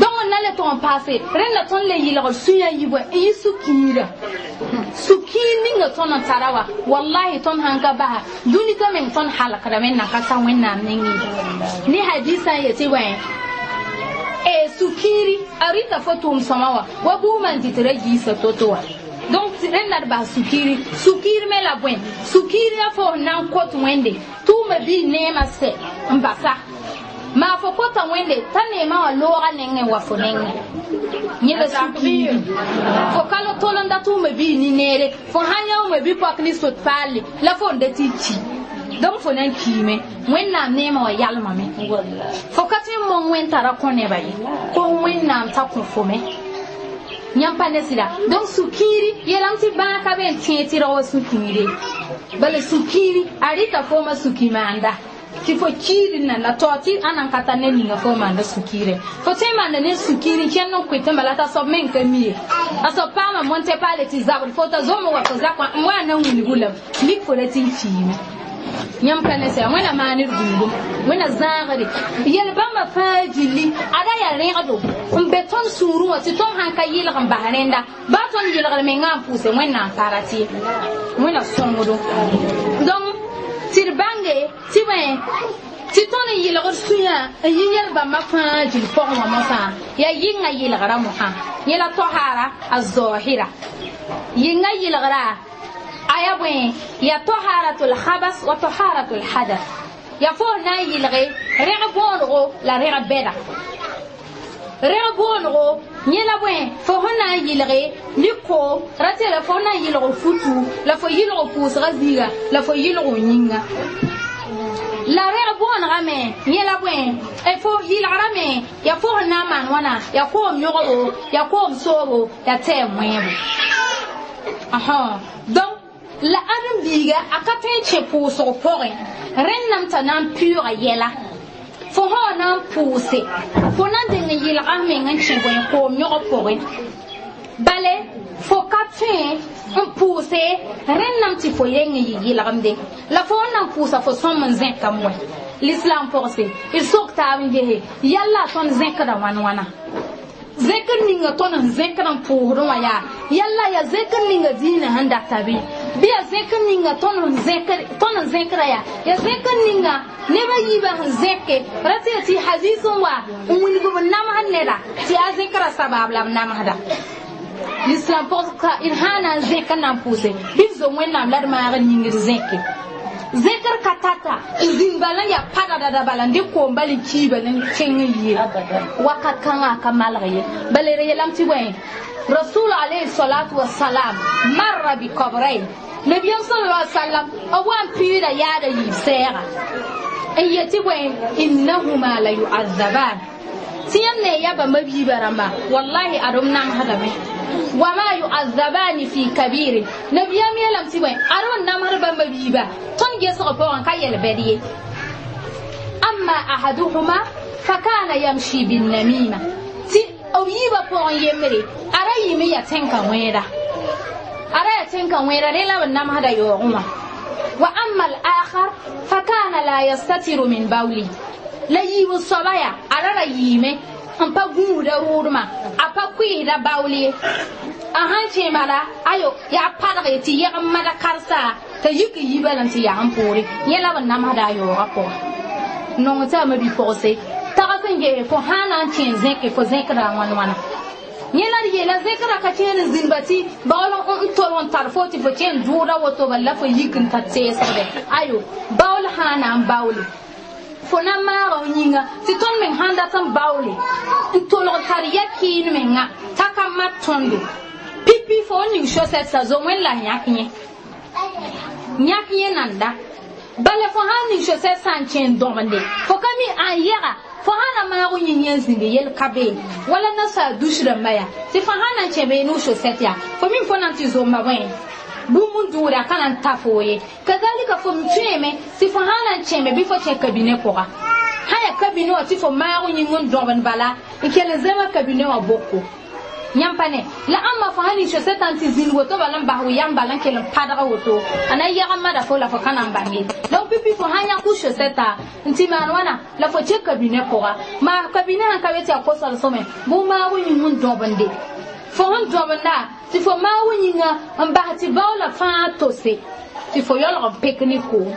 donc n na le tog n paase rẽnda tõnd le yɩlgd sũyã yibã n yɩ sũ-kiirã sũ-kiir ninga tõnd n tara wa wallahi tõnd sãn ka basa dũni ka meng tõnd halkdame n na ka ta wẽnnaam nengẽ ne hadisã n yetɩ bõe e sũ-kiiri a rɩta fo tʋʋm sõma wã wa buugmã n dɩt ra giisa to-to wã donc rẽnda d bas sũ-kiiri sũ-kiir me la bõe sũ-kiir la fo n na n kot wẽnde tʋʋma bii neemã sɛ n basa maa fo kota wẽnde t'a neemã wã looga nengẽ wa fo nengẽ yẽ la sũ-kiiri fo ka la tol n da tʋʋma bii ne-neere fo sãn yãooma bi pak ne sot paalle la fo n da tɩ ki donc fo na n kiime wẽnnaam neemã wã yalmame fo ka tõe n mong wẽn tara kõ neba ye ko wẽnnaam t'a kõ fo me yãmb pa ne sɩda donc sũ-kiiri yeelame tɩ bãag ka be n tẽeg tɩ rag wa sũ-kiire bala sũ-kiiri a rɩta foomã sũ-ki-maanda tɩ fo kiir n nanda tao tɩ ãna n ka tar ned ninga fo maanda sũ-kiire fo tõe n maanda ned sũ-kiir n kẽnd n koetẽ bala t'a soab meng ka mi ye a soab paama monte paale tɩ zabd fo t'a zom n wa fo zakã n wa na n wilgu lame mik fo ra tɩ n kiime yãmb ka ne sɛ wẽna maan d gũudum wẽna zãagre yel bãmba fãa gilli ada yaa rẽgdo n be tõnd sũurẽ wã tɩ tõnd sãn ka yɩlg n bas rẽnda baa tõnd yɩlgd mengã n pʋʋse wẽnnaam pa ra tɩ wẽna sõngdo donc tɩ d bãnge tɩ bõe Tɩ tõnd n yɩlgd sũyã n yi yɛl bãmba fãa gil pʋgẽ wã mosã yaa yɩnga yɩlgra mosã yẽ la tohaara a zaohira yɩnga yɩlgra a yaa bõe yaa toharatul habas wa toharatul hadas yaa fo na n yɩlge rẽg bõonego la rẽg bɛda rẽg bõonego yẽ la bõe fo sẽn na n yɩlge ne koom ra tɩ la fo na n yɩlg futu la fo yɩlg pʋʋsga zĩiga la fo yɩlg yĩnga la rẽg bõonegame yẽ la bõe fo yɩlgrame yaa fo sẽn na n maan wãna yaa koom yõgbo yaa koom soobo yaa tɛɛm wẽebo donc la ãdem-biiga a ka tõe n kẽ pʋʋsg pʋgẽ rẽndame t'a na n pʋʋga yɛla fo sã na n pʋʋse fo na n deng n yɩlga f meng n kẽ bõe koom yõg pʋgẽ bale fo ka tõe n pʋʋse rẽndame tɩ fo yeng n yɩ yɩlgemde la fo n na n pʋʋsa fo sõm n zẽkame wɛ l'islam pʋgse d sok taab n gese yalla tõnd zẽkda wãn wãna zẽkr ninga tõnd n zẽkd n pʋʋsdẽ wã yaa yalla yaa zẽkr ninga dĩinã sẽn data bɩ bɩ yaa zẽkr ninga tõnd n zẽkra yaa yaa zẽkr ninga nebã yiibã sẽn zẽke ra tɩ yaa tɩ hadis n wa n wilg b namsd neda tɩ yaa zẽkra sabaab la b namsda l'islam pʋgka d sã na n zẽk n na n pʋʋse bɩ d zo wẽnnaam la d maag d yĩngd zẽke zẽkr ka tata n zĩnd bala n yaa padadada bala n dɩk koom bal n kii bala n kẽng n yɩ wakat kãngã a ka malg ye bala d yeelame tɩ bõe rasul alayhi salatu wasalam marra bi kabrayn nabiyam sallallahu alaihi wasallam b wa n pɩɩda yaada yiib sɛɛga n yetɩ bõe innahuma la yu'azaban tɩ yãmb ne ya bãmba biibã rãmba wallahi adem namsdame wama yu'azabani fi kabirin nabiyam yeelame tɩ bõe adem n namsd bãmba biibã tõnd gesg pʋgẽ ka yɛl bɛd ye amma ahaduhuma fakana yamshi binnamima tɩ b yiibã pʋgẽ yembre a ra yɩme ya tẽn-ka wẽeda a ra yaa tẽn-ka wẽeda rẽ la b namsda yaoogẽ wã wa amma al-akhar fakana la yastatiru min bawli la yiib n soaba yaa a ra ra yɩɩme n pa gũusda rʋʋdmã a pa kʋɩɩsda baool ye a sãn kẽ bala ayo yaa padge tɩ yɛgem mada karsa t'a yik n yi bala n tɩ yaa n poore yẽ la b namsda a yaoogã pʋga nong tɩ a mabi-pʋgse tags n gese fo sã na n kẽ zẽke fo zẽkda a wãn wãna yẽ la d yeela zẽkra ka kẽer n zĩnba tɩ baool n tol n tar fo tɩ fo kẽ n dʋʋda woto bala la fo yik n ta teesgde ayo baool sã na n baoole fo na n maaga f yĩnga tɩ tõnd meng sãn dat n baoole n tolg tar ya kɩɩn menga t'a ka mat tõndo pipi fo n ning sosɛtsa zo wẽn la yãk yẽ yãk yẽ nanda bala fo sãn ning sosɛt sã n kẽ n dõbende fo ka mi ãn yɛga fo sã na maag yĩng yẽ n zĩngi yel ka bee wala nasaar dus rãmba yaa tɩ fo sã na n kẽ bee ne sosɛt yaa fo mi fo na n tɩ zomba bõe bũmb n dʋʋda ka na n ta fo ye kazalika fo m tõeeme tɩ fo sã na n kẽme bɩ fo kẽ kabine pʋga sã yaa kabine wã tɩ fo maag yĩng n dõbend bala n kell n zẽma kabine wã boko yãmb pa ne la ãmba fo sã ning sosɛtã n tɩ zĩnd woto bala n bas yam bala n kell n padg woto a na yɛgem mada fo la fo ka na n bãng ye donc pipi fo sã yãk sosɛta n tɩ maan wãna la fo kẽ kabine pʋga maa kabine sãn ka be tɩ yaa ko-solsme bʋ maag yĩng n dõbende fo sẽn dõbenda tɩ fo maag yĩnga n bas tɩ baoola fãa tose tɩ fo yaoolg n pek ne koom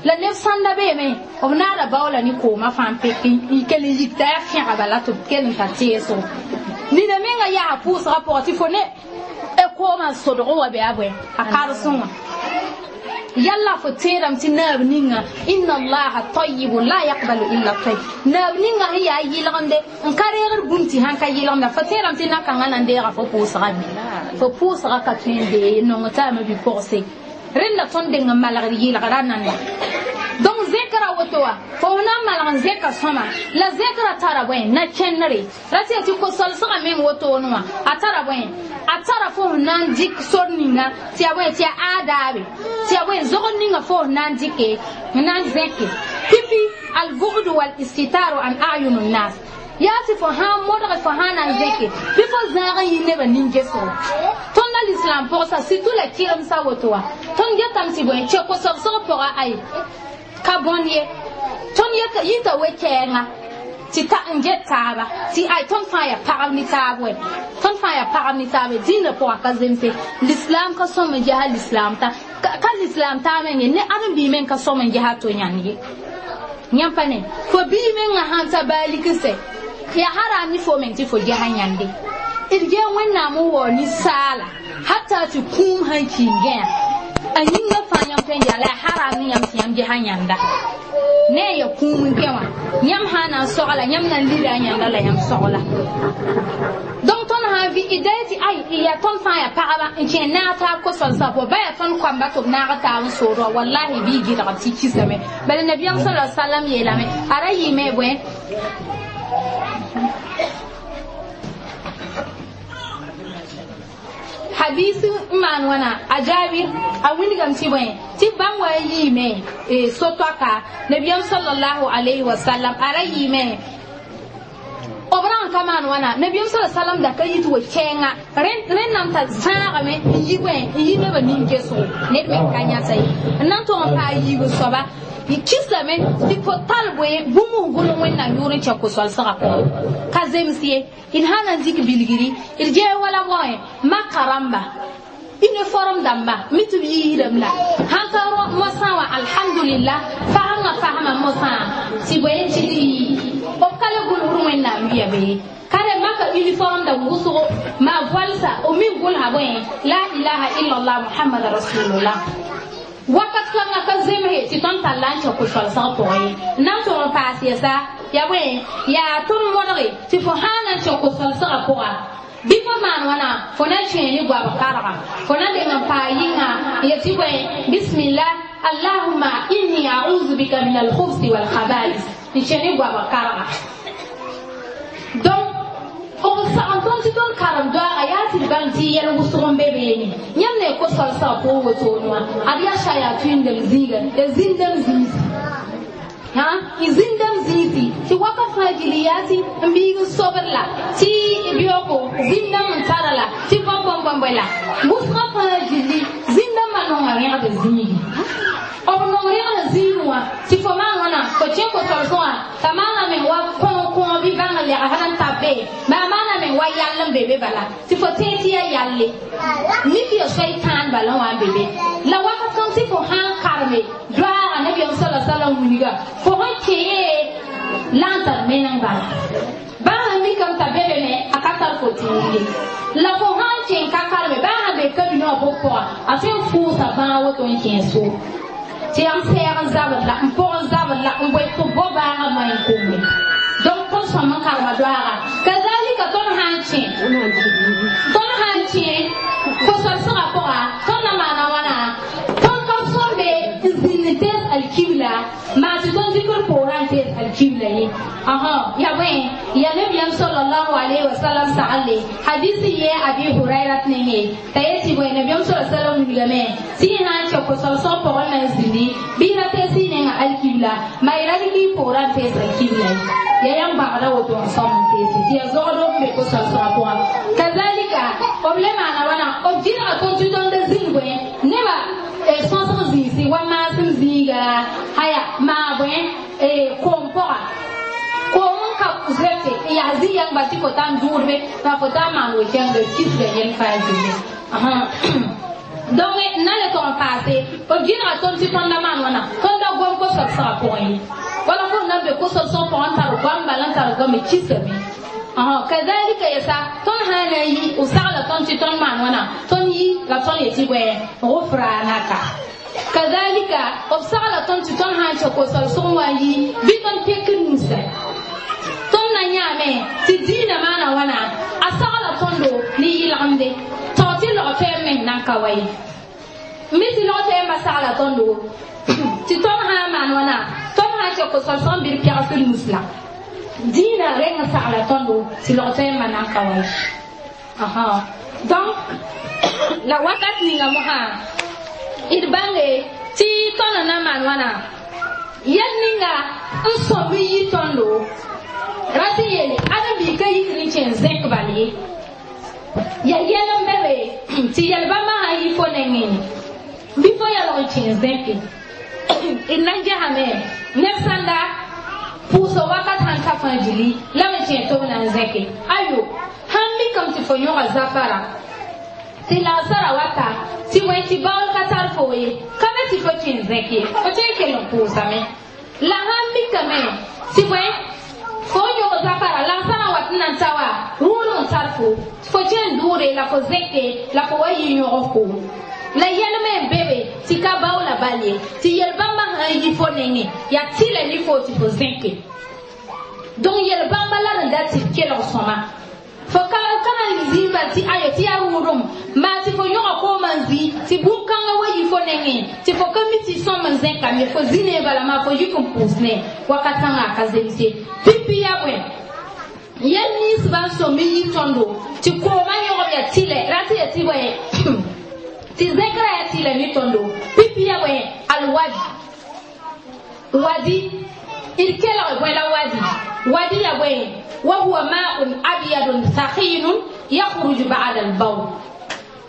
la neb sãnda beeme b naada baoola ne koomã fãa n pek n kell n yik t'a yaa fẽga bala tɩ b kell n tar teesgo nina menga yaa pʋʋsgã pʋgã tɩ fo ne koomã sodg wa bɩ a bõe a karsẽ wã yalla fo tẽedame tɩ naab ninga inna allaha tayibun la yaqbalu illa tayib naab ninga sẽn yaa yɩlgemde n ka reegd bũmb tɩ sãn ka yɩlgemda fo tẽedame tɩ na-kãngã na n deega fo pʋʋsga bɩ fo pʋʋsga ka tõe n dee nong taama bi-pʋgse rẽnda tõnd deng n malgd yɩlgra nanda donc zẽkra woto wa fo na n malg n zẽka sõma la zẽkra tara bõe na kẽnere ra tɩ yaa tɩ ko-solsgã meng wotone wã a tara bõe a tara fo sẽn na n dɩk sor ninga tɩ yaa bõe tɩ yaa aadaabe tɩ yaa bõe zogd ninga fo sẽn na n dɩke n na n zẽke pipi albughdu walistitaru an ayun nnas yaa tɩ fo sã n modge fo sã na n zẽke bɩ fo zãag n yi nebã nin-gesgo tõnd la l'islam pʋgsa surtout la kɩremsa woto wã tõnd getame tɩ bõe che ko-sobsg pʋga ay ka bõnd ye tõnd yita we-kɛɛngã tɩ ta n get taaba tɩ ay tõnd fãa yaa pagb ne taab wɛ tõnd fãa yaa pagb ne taab dĩinã pʋgã ka zemse l'islam ka sõm n ges l'islam ta ka l'islam taa meng ye ne ãdem-biig meng ka sõm n ges a to yãnd ye Yãmb pa ne fo bii menga sãn ta baalik n sɛ ya haram ni fo meng tɩ fo gesa yãnde d gee wẽnnaam n waoog ninsaala hata tɩ kũum sãn ki n gãa a yĩngã fãa yãmb tõe n yaa la ya haram ne yãmb tɩ yãmb gesa yãnda ne a ya kũum n kẽ wã yãmb sã na n sogla yãmb na n lida a yãnda la yãmb sogla donc tõnd sã n vɩ d da tɩ ay yaa tõnd fãa yaa pagba n kẽ naag taab ko-solsã pʋgẽ ba yaa tõnd koamba tɩ b naag taab n sood wã wallahi bɩ y gɩdgb tɩ kisame bala nabiyaam sala sallam yeelame a ra yɩɩme bõe hadisi n maan wãna a jaabir a wilgame tɩ bõe tɩ bãmb wa n yiime so-toaka nabiyaam sallallahu alayhi wa sallam a ra yɩɩme b rãng ka maan wãna nabiyaam sa sallam da ka yit wa kɛɛnga rẽnnaam t'a zãagame n yi bõe n yi nebã nin-kesgo ned me ka yãsa ye n na n tog n paa yiib soaba n kislame tɩ fo tal bõe bũmb n gʋlg wẽnnaam yʋʋr n kẽ ko-solsgã pʋgẽ ka zems ye d sã na n dɩk bilgri d gee wala bõe maka rãmba uniforme dãmba mi tɩ b yiisdame la sãn ka mosã wã alhamdulillah fasengã fasma mosã tɩ bõe tɩ b ka le gʋlsd wẽnnaam wɩa bee ka re maka uniforme da wʋsgo maa voalsa b mi gʋlsa bõe la ilaha illallah muhammad rasulullah wakat kãngã ka zemse tɩ tõnd tall n kẽ ko-solsg pʋgẽ ye n na n tog n paas yɛsa yaa bõe yaa tõnd modge tɩ fo sã na n kẽ ko-solsgã pʋga bɩ fo maan wãna fo na kẽe ne goab karga fo na deng n paa yɩnga n yet tɩ bõe bismillah allahuma inni auzu bika min alkhubsi walkhabais n kẽ ne goab karga donc b sagn tõnd tɩ tõnd karem doaaga yaa tɩ d bãng tɩ yɛl wʋsg n be beene yãmb ne ko-solsgã pʋgẽ wotone wã ad yaa sa yaa tũindem zĩiga ya zĩndame zĩisi n zĩndame zĩisi tɩ wakat fãa gil yaa tɩ n biig n sobd la tɩ bioko zĩndame n tara la tɩ bõmb-bõmb-bõmb la wʋsgã fãa gilli zĩndãmbã nonga rẽgd zĩigi b nong rẽgd zĩig wã tɩ fo maan wãna fo kẽ ko-solsẽ wã t'a maana me wa kõo bɩ bãng n lɛgsd n tab be baa maana me wa yall n be be bala tɩ fo tẽeg tɩ yaa yalle mik ya soitaan bala wã n be be la wakat kãng tɩ fo sã n karme doaaga nabiyaam sala salam wilga fo sẽn kẽe la n tar meneng bala baa sãn mikame t'a be be me a ka tar fo tũud ye la fo sã n kẽ ka karme baa sãn be kabinã wã pʋg pʋga a tõe n fʋʋsa bãag woto n kẽ so tɩ yaa n sɛɛg n zabd la n pʋg n zabd la n goe tɩ bao baaga ma n kombe donc tõnd sõm n karema doaaga kazalika tõnd sã n kẽ tõnd sã n kẽ ko-solsgã pʋga tõnd na maana wãna tõnd ka sõmbe n zĩnd n tees alkibla maa tɩ tõnd zikr poorã n tees alkibla ye yaa bõe yaa nabiyaam sallallahu alayhi wa sallam sagle hadisi ye abi hurairat nenge t'a yetɩ bõe nabiyaam sa sallam wilgame tɩ y sã n kẽ ko-solsg pʋgẽ na n zĩndi bɩ y ra tees y nenga alkibla maa y ra dɩk y poorã n tees alkibla ye ya yãmb bãgda woto n sõm n teese tɩ yaa zogdo n be ko-solsgã pʋgã kazalika b le maana wãna b gɩdga tõnd tɩ tõnd zĩnd bõe nebã sõsg zĩisi wa maasem zĩiga haya maa bõe koom pʋga koom n ka zoete n yaa zĩ-yãngba tɩ fo ta n dʋʋdbe la fo ta n maan we-kẽnga kisga yẽl faa zĩnge donc n na le tog n paase b gɩdga tõnd tɩ tõnda maan wãna tõnda gom ko-solsgã pʋgẽ ye wala fo na n be ko-solsg pʋgẽ n tar goam bala n tar goame kisame kazalika yɛsa tõnd sã na n yi b sagla tõnd tɩ tõnd maan wãna tõnd yi la tõnd yetɩ bõe gufranaka kazalika b sagla tõnd tɩ tõnd sã n kẽ ko-solsg wã n yi bɩ tõnd tek nusa tõnd na yãame tɩ diinã maana wãna a sagla tõndo ne yɩlgemde tao tɩ log tɛɛm meng nan ka wa ye mi tɩ log tɛɛmbã sagla tõndo tɩ tõnd sã n maan wãna tõnd sã n kẽ ko-solsg n bɩ d pɛgsd nus la diinã reng n sagla tõndo tɩ log tɛɛmbã nan ka wa ye donc la wakat ninga mosã d bãnge tɩ tõnd na maan wãna yɛl ninga n sõm n yi tõndo ra tɩ yeele ãdem-biig ka yikd n kẽ n zẽk bal ye ya yɛl n be be tɩ yɛl bãmba sã n yi fo nengẽ bɩ fo yalg n kẽ n zẽke d na n gesame neb sãnda pʋʋsg wakat sãn ta fãa gilli la me kẽ tɩ b na n zẽke ayo sãn mikame tɩ fo yõga zafara tɩ lagsara wata tɩ wẽ tɩ baool ka tar fo ye ka be tɩ fo kẽ n zẽk ye fo tõe n kell n pʋʋsame La sãn mikame tɩ bõe fo yõg zafara la sã na wat n na n ta wa rʋʋd n tar fo fo kẽn dʋʋre la fo zẽke la fo wa yɩ yõg koom la yɛlme n be be tɩ ka baoola bal ye tɩ yel-bãmbã sãn yi fo nengẽ yaa tɩlɛ ne fo tɩ fo zẽke donc yel-bãmba la d da tɩ d kelg sõma fo ka na n zĩig bal tɩ ayo tɩ yaa rʋʋdem maa tɩ fo yõga koomã n zĩ tɩ bũn-kãngã wa yi fo nengẽ tɩ fo ka mi tɩ sõm n zẽkame fo zĩ ne bala maa fo yik n pʋʋs ne wakat sãnga a ka zemse pipi yaa bõe yɛl ninsbã n sõm n yi tõndo tɩ koomã yõgb yaa tɩlɛ ra tɩ yaa tɩ bõe tɩ zẽkrã yaa tɩlɛ ne tõndo pipi yaa bõe alwadi wadi d kelg bõe la wadi wadi yaa bõe وهو ماء أبيض ثخين يخرج بعد البول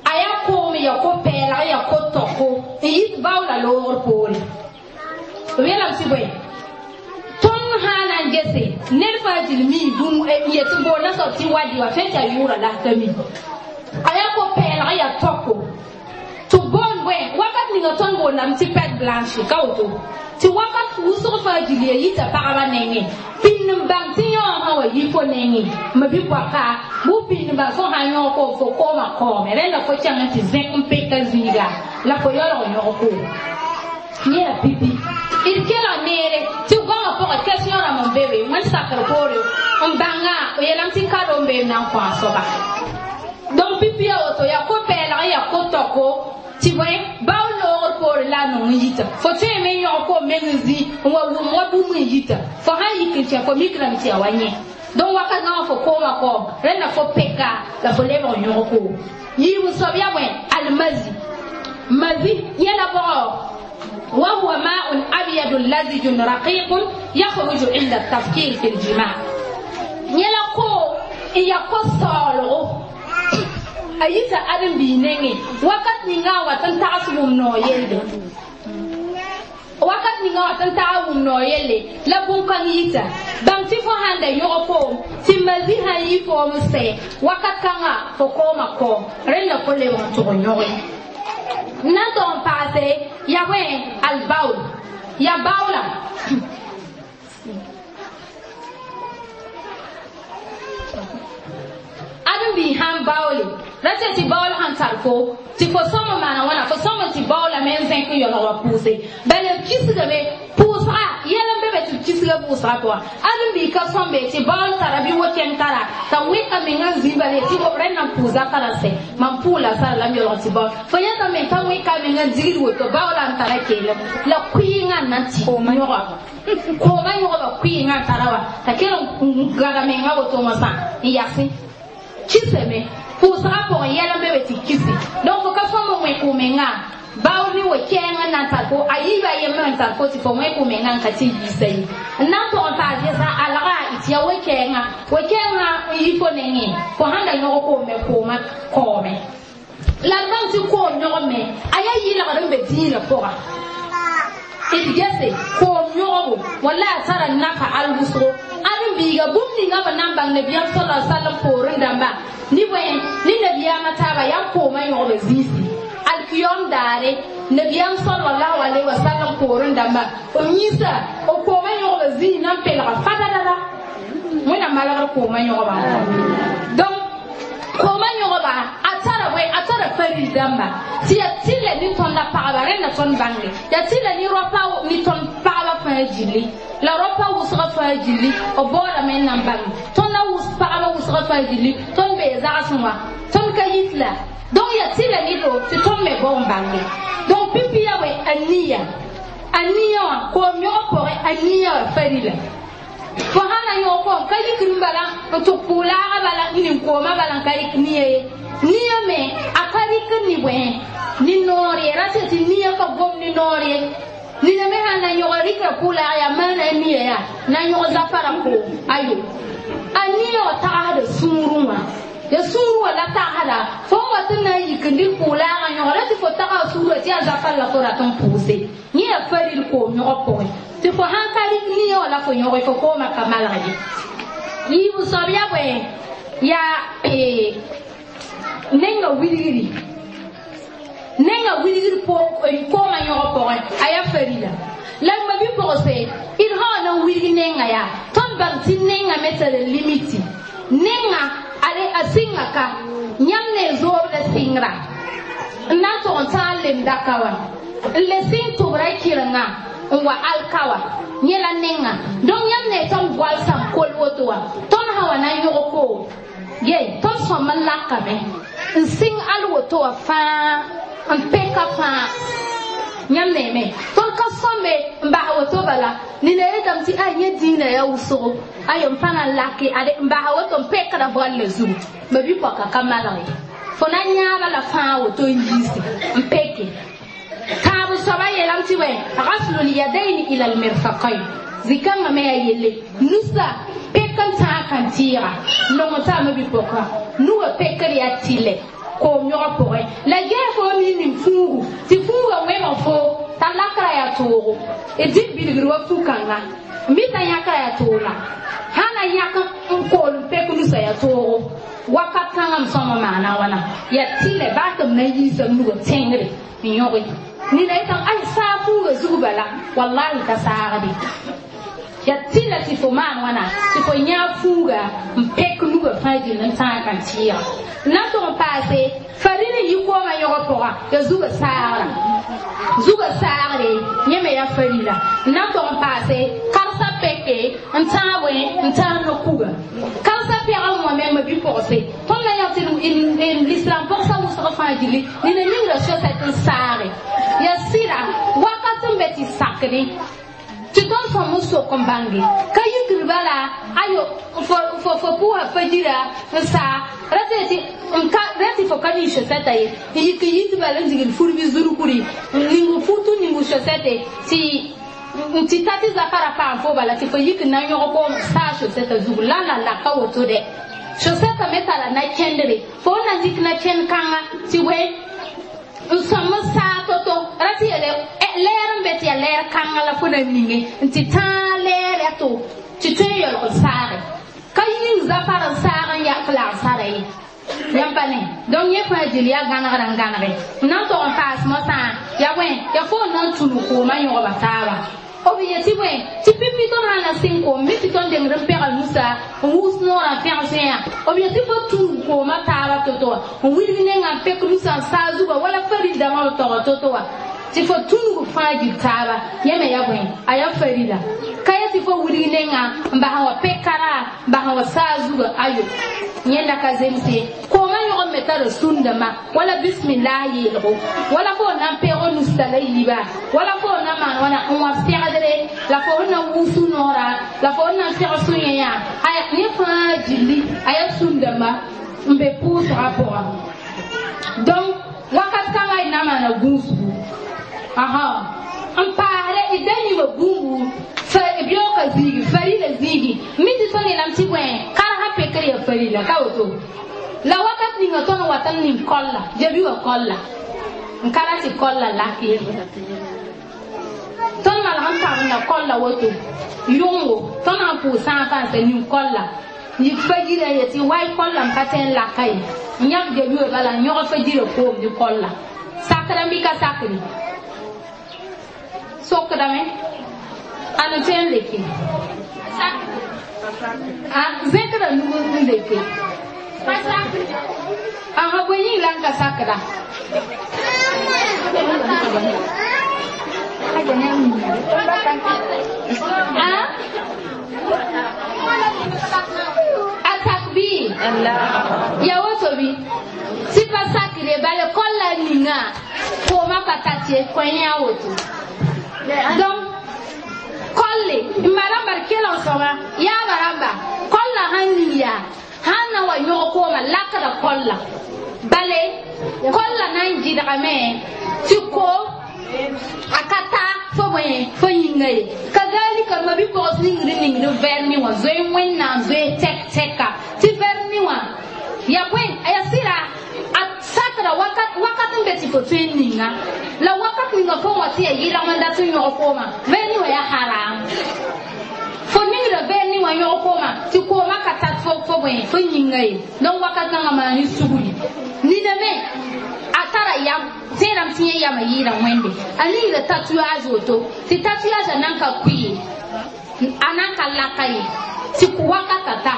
aya koom ya ko pɛɛlg ya ko tɔko n yit baoola loogr poore b yeelame tɩ bõe tõnd sã na n gese ned fãa dil mi bũmb n yet n boond a soab tɩ wadi wa fẽn tɩ a yʋʋra la ka mi a yaa ko pɛɛlg ya tɔko tɩ boond bõe wakat ninga tõnd boondame tɩ pɛt blanche ka woto tɩ wakat wʋsg fãa gil ya yita pagba nengẽ pĩnd n bãng tɩ yõog sã wa yi fo nengẽ ma bɩ poaka bʋ pĩnd n bãng fo sã yõog koom fo koomã kaoome rẽnda fo kẽng n tɩ zẽk n peka zĩiga la fo yaoolg yõg koom yẽ yaa pipi d kelg neere tɩ goamã pʋgã question rãmb n be be wẽnd sakr poore n bãnga o yeelame tɩ kado n beem na n kõ a soaba donc pipi ya woto yaa ko-pɛɛlg yaa ko-tɔko tɩ bõe bao loogr poore la a nong n yita fo tõeme n yõg koom meng n zĩ n wa wʋm wa bũmb n yita fo sãn yik n kẽ fo mikrame tɩ yaa wa yẽ donc wakat gãwã fo koomã kaoom rẽnda fo peka la fo lebg n yõg koom yiib n soab yaa bõe almazi mazi yẽla bʋgɔ وهو ماء أبيض لزج رقيق يخرج عند التفكير في الجماع يلا كو يا كو صالو a yita ãdem-biig nengẽ wakat ninga a wat n tags wʋm noog yelle wakat ninga wat n tag wʋm noog yelle la bũn-kãng yita bãmb tɩ fo sãn da yõg koom tɩ mazi sãn yi foom n sɛ wakat kãnga fo koomã kaoom rẽnda fo lebg n tʋg n yõge n na n tog n paase ya bõe albaol ya baoola ãdem-biig sãn baoole ra tɩ tɩ baool sãn tar fo tɩ fo sõm n maana wãna fo sõm n tɩ baoolame n zẽk n yaoolg wa pʋʋse bala b kisgame pʋʋsga yɛl n be be tɩ b kisga pʋʋsga pʋga ãdem-biig ka sõmbe tɩ baool tara bɩ wo-kẽng tara t'a wẽka menga n zĩ bala tɩ b rẽnd na n pʋʋsa tara sɛ mam pʋʋla sara la m yaoolg tɩ baool fo yãta me ka wẽka menga n digd woto baoola n tara keelem la kʋɩɩngã n na n tɩ yõga koomã yõgba kʋɩɩngã n tara wa t'a kell n gãda menga woto wã sã n yasẽ kisame pʋʋsgã pʋgẽ yɛl n be be tɩ kisi donc fo ka sõm n wẽ kʋ-menga baool ne wa-kɛɛng n na n tar fo a yiiba yembr n tar fo tɩ fo wẽ kʋ-mengã n ka tɩ yiisa ye n na n tog n paas yɛsa alga tɩ yaa wa-kɛɛngã wa-kɛɛngã n yi fo nengẽ fo sãn da yõg koome koomã kaoome la d bãng tɩ koom yõg me a yaa yɩlgd n be dĩinã pʋga d gese koom yõgbo wala a tara nafa al wʋsgo ãdem-biiga bũmb ninga b na n bãng nabiyaam sala sallam poorẽ dãmba ne bõe ne nabiyaamã taaba yaa koomã yõgba zĩisi alkiyom daare nabiyaam sallallahu alaihi wasallam poorẽ dãmba b yĩsa b koomã yõgba zĩis na n pelga fadadada wẽnnaam malgr koomã yõgba donc koomã yõgba a tara bõe a tara faril dãmba tɩ yaa tɩlɛ ne tõnda pagba rẽnda tõnd bãnge yaa tɩlɛ ne rapa ne tõnd pagba fãa gilli la rapa wʋsgã fãa gilli b baoodame n na n bãng tõnda pagba wʋsgã fãa gilli tõnd bee zagsẽ wã tõnd ka yit la donc yaa tɩlɛ ne do tɩ tõnd me bao n bãnge donc pipi yaa bõe a niya a niya wã koom yõg pʋgẽ a niya wã farila fo sã na yõg koom ka yikr n bala n tʋg pʋʋlaaga bala n ning koomã bala n ka rɩk niya ye niya me a ka rɩkr ne bõe ne noor ye ra tɩ tɩ niya ka gom ne noor ye nina me sãn na yõg rɩkra pʋʋlaag yaa maana a niya yaa na yõg zafara koom ayo a niya wã tagsda sũurẽ wã ya sũur wã la tagsda fo n wa tɩ na n yik n dɩk pʋʋlaagã yõg ra tɩ fo taga sũurã tɩ yaa zafar la fo rat n pʋʋse yẽ yaa faril koom yõg pʋgẽ tɩ fo sãn ka rɩk niya wã la fo yõge fo koomã ka malg ye yiib soab yaa bõe yaa nenga wilgri nenga wilgr koomã yõg pʋgẽ a yaa farila la ma bɩ pʋgse d n wilg nenga yaa tõnd bãng tɩ nenga me tara limiti nenga a sɩnga ka yãmb ne zoobda sɩngra n na n tog n tãag lemda ka wã n le sɩng tʋbra kɩrenga n wa alka wã yẽ la nenga donc yãmb ne tõnd goal sã n kol woto wã tõnd sã wa na n yõg koom ye tõnd sõm n lakame n sɩng al woto wã fãa n peka fãa yãmb neeme tõnd ka sõmbe n bas woto bala nina yetame tɩ a yẽ dĩinã yaa wʋsgo ayo n pa na n lake ade n basa woto n pekda boalla zugu ma bi-poaka ka malge fo na yãaba la fãa woto n yiisi n peke tãab soaba yeelame tɩ wɛ gaslul yadaini ila almirfaqain zikãngã me yaa yelle nusa pek n tãag kãn-tɩɩga nong n taama bi-poka nugã pekd yaa tɩlɛ koom yõga pʋgẽ la ges fo mi ning fuugu tɩ fuugã wẽbg fo t'a lakra yaa toogo d dɩk bilgr wa fu-kãnga mita yãkra yaa tooga sã na yãk n kool n pek nusa yaa toogo wakat kãngã m sõma maana wãna yaa tɩlɛ baa tɩ m na n yiisa m nugã tẽngre n yõge nina yetame ay saa fuugã zug bala wallahi ka saagde yaa tɩla tɩ fo maan wãna tɩ fo yãag fuuga n pek nugã fãa gill n tãag kãn-tɩɩga n na n tʋg n paase farin n yi koomã yõgã pʋga yaa zugã saagra zugã saagre yẽ me yaa farila n na n tʋg n paase karsa peke n tãag wẽ n tãag no-kuga karsa pɛg n wã mengmã bi-pʋgse tõnd na yã tɩ l'islam pʋgsa wʋsg fãa gilli nina ningra chaussette n saage yaa sɩda wakat n be tɩ sakdẽ tɩ tõnd sõm n sok n bãnge ka yikr bala ayo fo pʋʋsa fajira n saa ra tɩ fo ka ning chaussette ye n yik n yit bala n digl furbi zurkuri n ning futu ning chaussette tɩ n tɩ ta tɩ zafara paam fo bala tɩ fo yik n na n yõg koom saa chaussette zugu la la la ka woto dɛ chaussette me tara na kẽndre fo na dɩk na kẽnd kãnga tɩ wɛ n sõm n saa to-to ra tɩ yeele lɛɛr n be tɩ yaa lɛɛr kãnga la fo na ninge n tɩ tãag lɛɛr yaa to tɩ tõe n yaoolg n saage ka yĩng zafar n saag n yak lagsara ye yãmb pa ne donc yẽ fãa dɩl yaa gãnegra n gãnege n na n tog n paas mosã yaa bõe yaa fo n na n tũnu koomã yõgba taaba b yetɩ bõe tɩ pipi tõnd sã na sɩng koom mi tɩ tõnd dengd n pɛgl nusa n wʋs noorã n fẽgs yã b yetɩ fo tũug koomã taaba to-to wã n wilg nengã n pek nusa n saa zugã wala farildãmã b tɔgɔ to-to wã tɩ fo tũug fãa gil taaba yẽ me yaa bõe a yaa farila ka yetɩ fo wilg nengã n bas n wa pekara n bas n wa saa zugã ayo yẽnda ka zemse koomã yõg me tara sũndãmã wala bismillah yeelgo wala fo na n peg nusta la yiiba wala fo na maan wãna n wa pɛgdre la fo na n wʋs noora la fo na n pɛg sũ-yẽ yã aya yẽ fãa gilli a yaa sũndãmba n be pʋʋsgã pʋga donc wakat kãngã y na maana gũusgu aha n paasdɛ d da yĩma gũubu beoogã zĩigi farila zĩigi mi tɩ tõnd yeelame tɩ bõe karsa pekr yaa farila ka woto la wakat ninga tõnd wat n ning kolla jabi wã kolla n ka ra tɩ kolla lak ye tõnd malg n pãmda kolla woto yʋngo tõnd sãn pʋʋs sã n fãa sa ning kolla yik fajira ye tɩ way kolla n pa tõe n laka ye n yãk jabi wã bala n yõg fajira koom dɩ kolla sakdame bɩ ka sakre sokdame ãn n tõe n leke zẽkda nug n leke ãn bõe yĩng la n ka sakda a sak bɩ ya woto bɩ tɩ pa sakre bala kolla ninga koomã pa tat ye kõ yã woto donc kolle n ma rãmba d kelg sõma yaaba rãmba kolla sãn ning yaa sãn na wa yõg kooma lakda kolla bale kolla na n gɩdgame tɩ koom a ka ta fo bõe fo yĩnga ye kazalika ma bi-pogs ningd n ningd vɛrni wã zoe wẽnnaam zoe tɛk tɛka tɩ vɛrni wã ya bõe a yaa sɩra a sakra wakat wakat n be tɩ fo tõe n ninga la wakat ninga fo wã tɩ yaa yɩlg n dat n yõg koomã vɛrni wã yaa haram fo ningra vɛrni wã yõg koomã tɩ koomã ka tat fo bõe fo yĩnga ye donc wakat kãngã maan ne sugri nina me a tara yam tẽedame tɩ yẽ yama yɩɩda wẽnde a ningra tatouage woto tɩ tatouage nan ka kʋɩ ye A na n ka laka ye tɩ wakata ta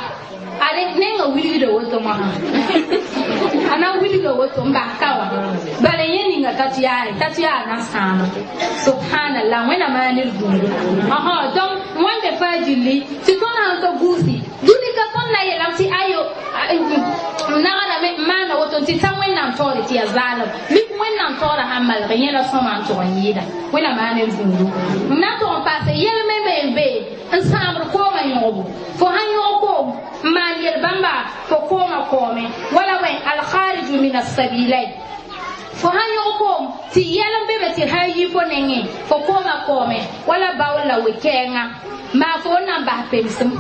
ade nenga wilgda woto wã a na wilga woto n bas ka wã bala yẽ ninga t'a tɩ yaa t'a tɩ yaa na sãama subhanallah wẽnnaam yaa ned gũudu donc wãnde fãa gilli tɩ tõnd sãn ka guusi dũni ka tõnd na yeelame tɩ ayo n nagdame n maana woto tɩ t'a wẽnnaam taoore tɩ yaa zaalem mik wẽnnaam taoora sãn malg yẽ la sõma n tʋg n yɩɩda wẽnnaam yaa ned gũudu n na tʋg n paase yɛlmẽ me n be n sãambd koomã yõgbo fo sãn yõg koom n maan yel bãmba fo koomã koome wala wẽ alkhariju min assabilain fo sãn yõg koom tɩ yɛl n be be tɩ sã n yi fo nengẽ fo koomã koome wala baool la we-kɛɛngã maa fo n na n bas pemsem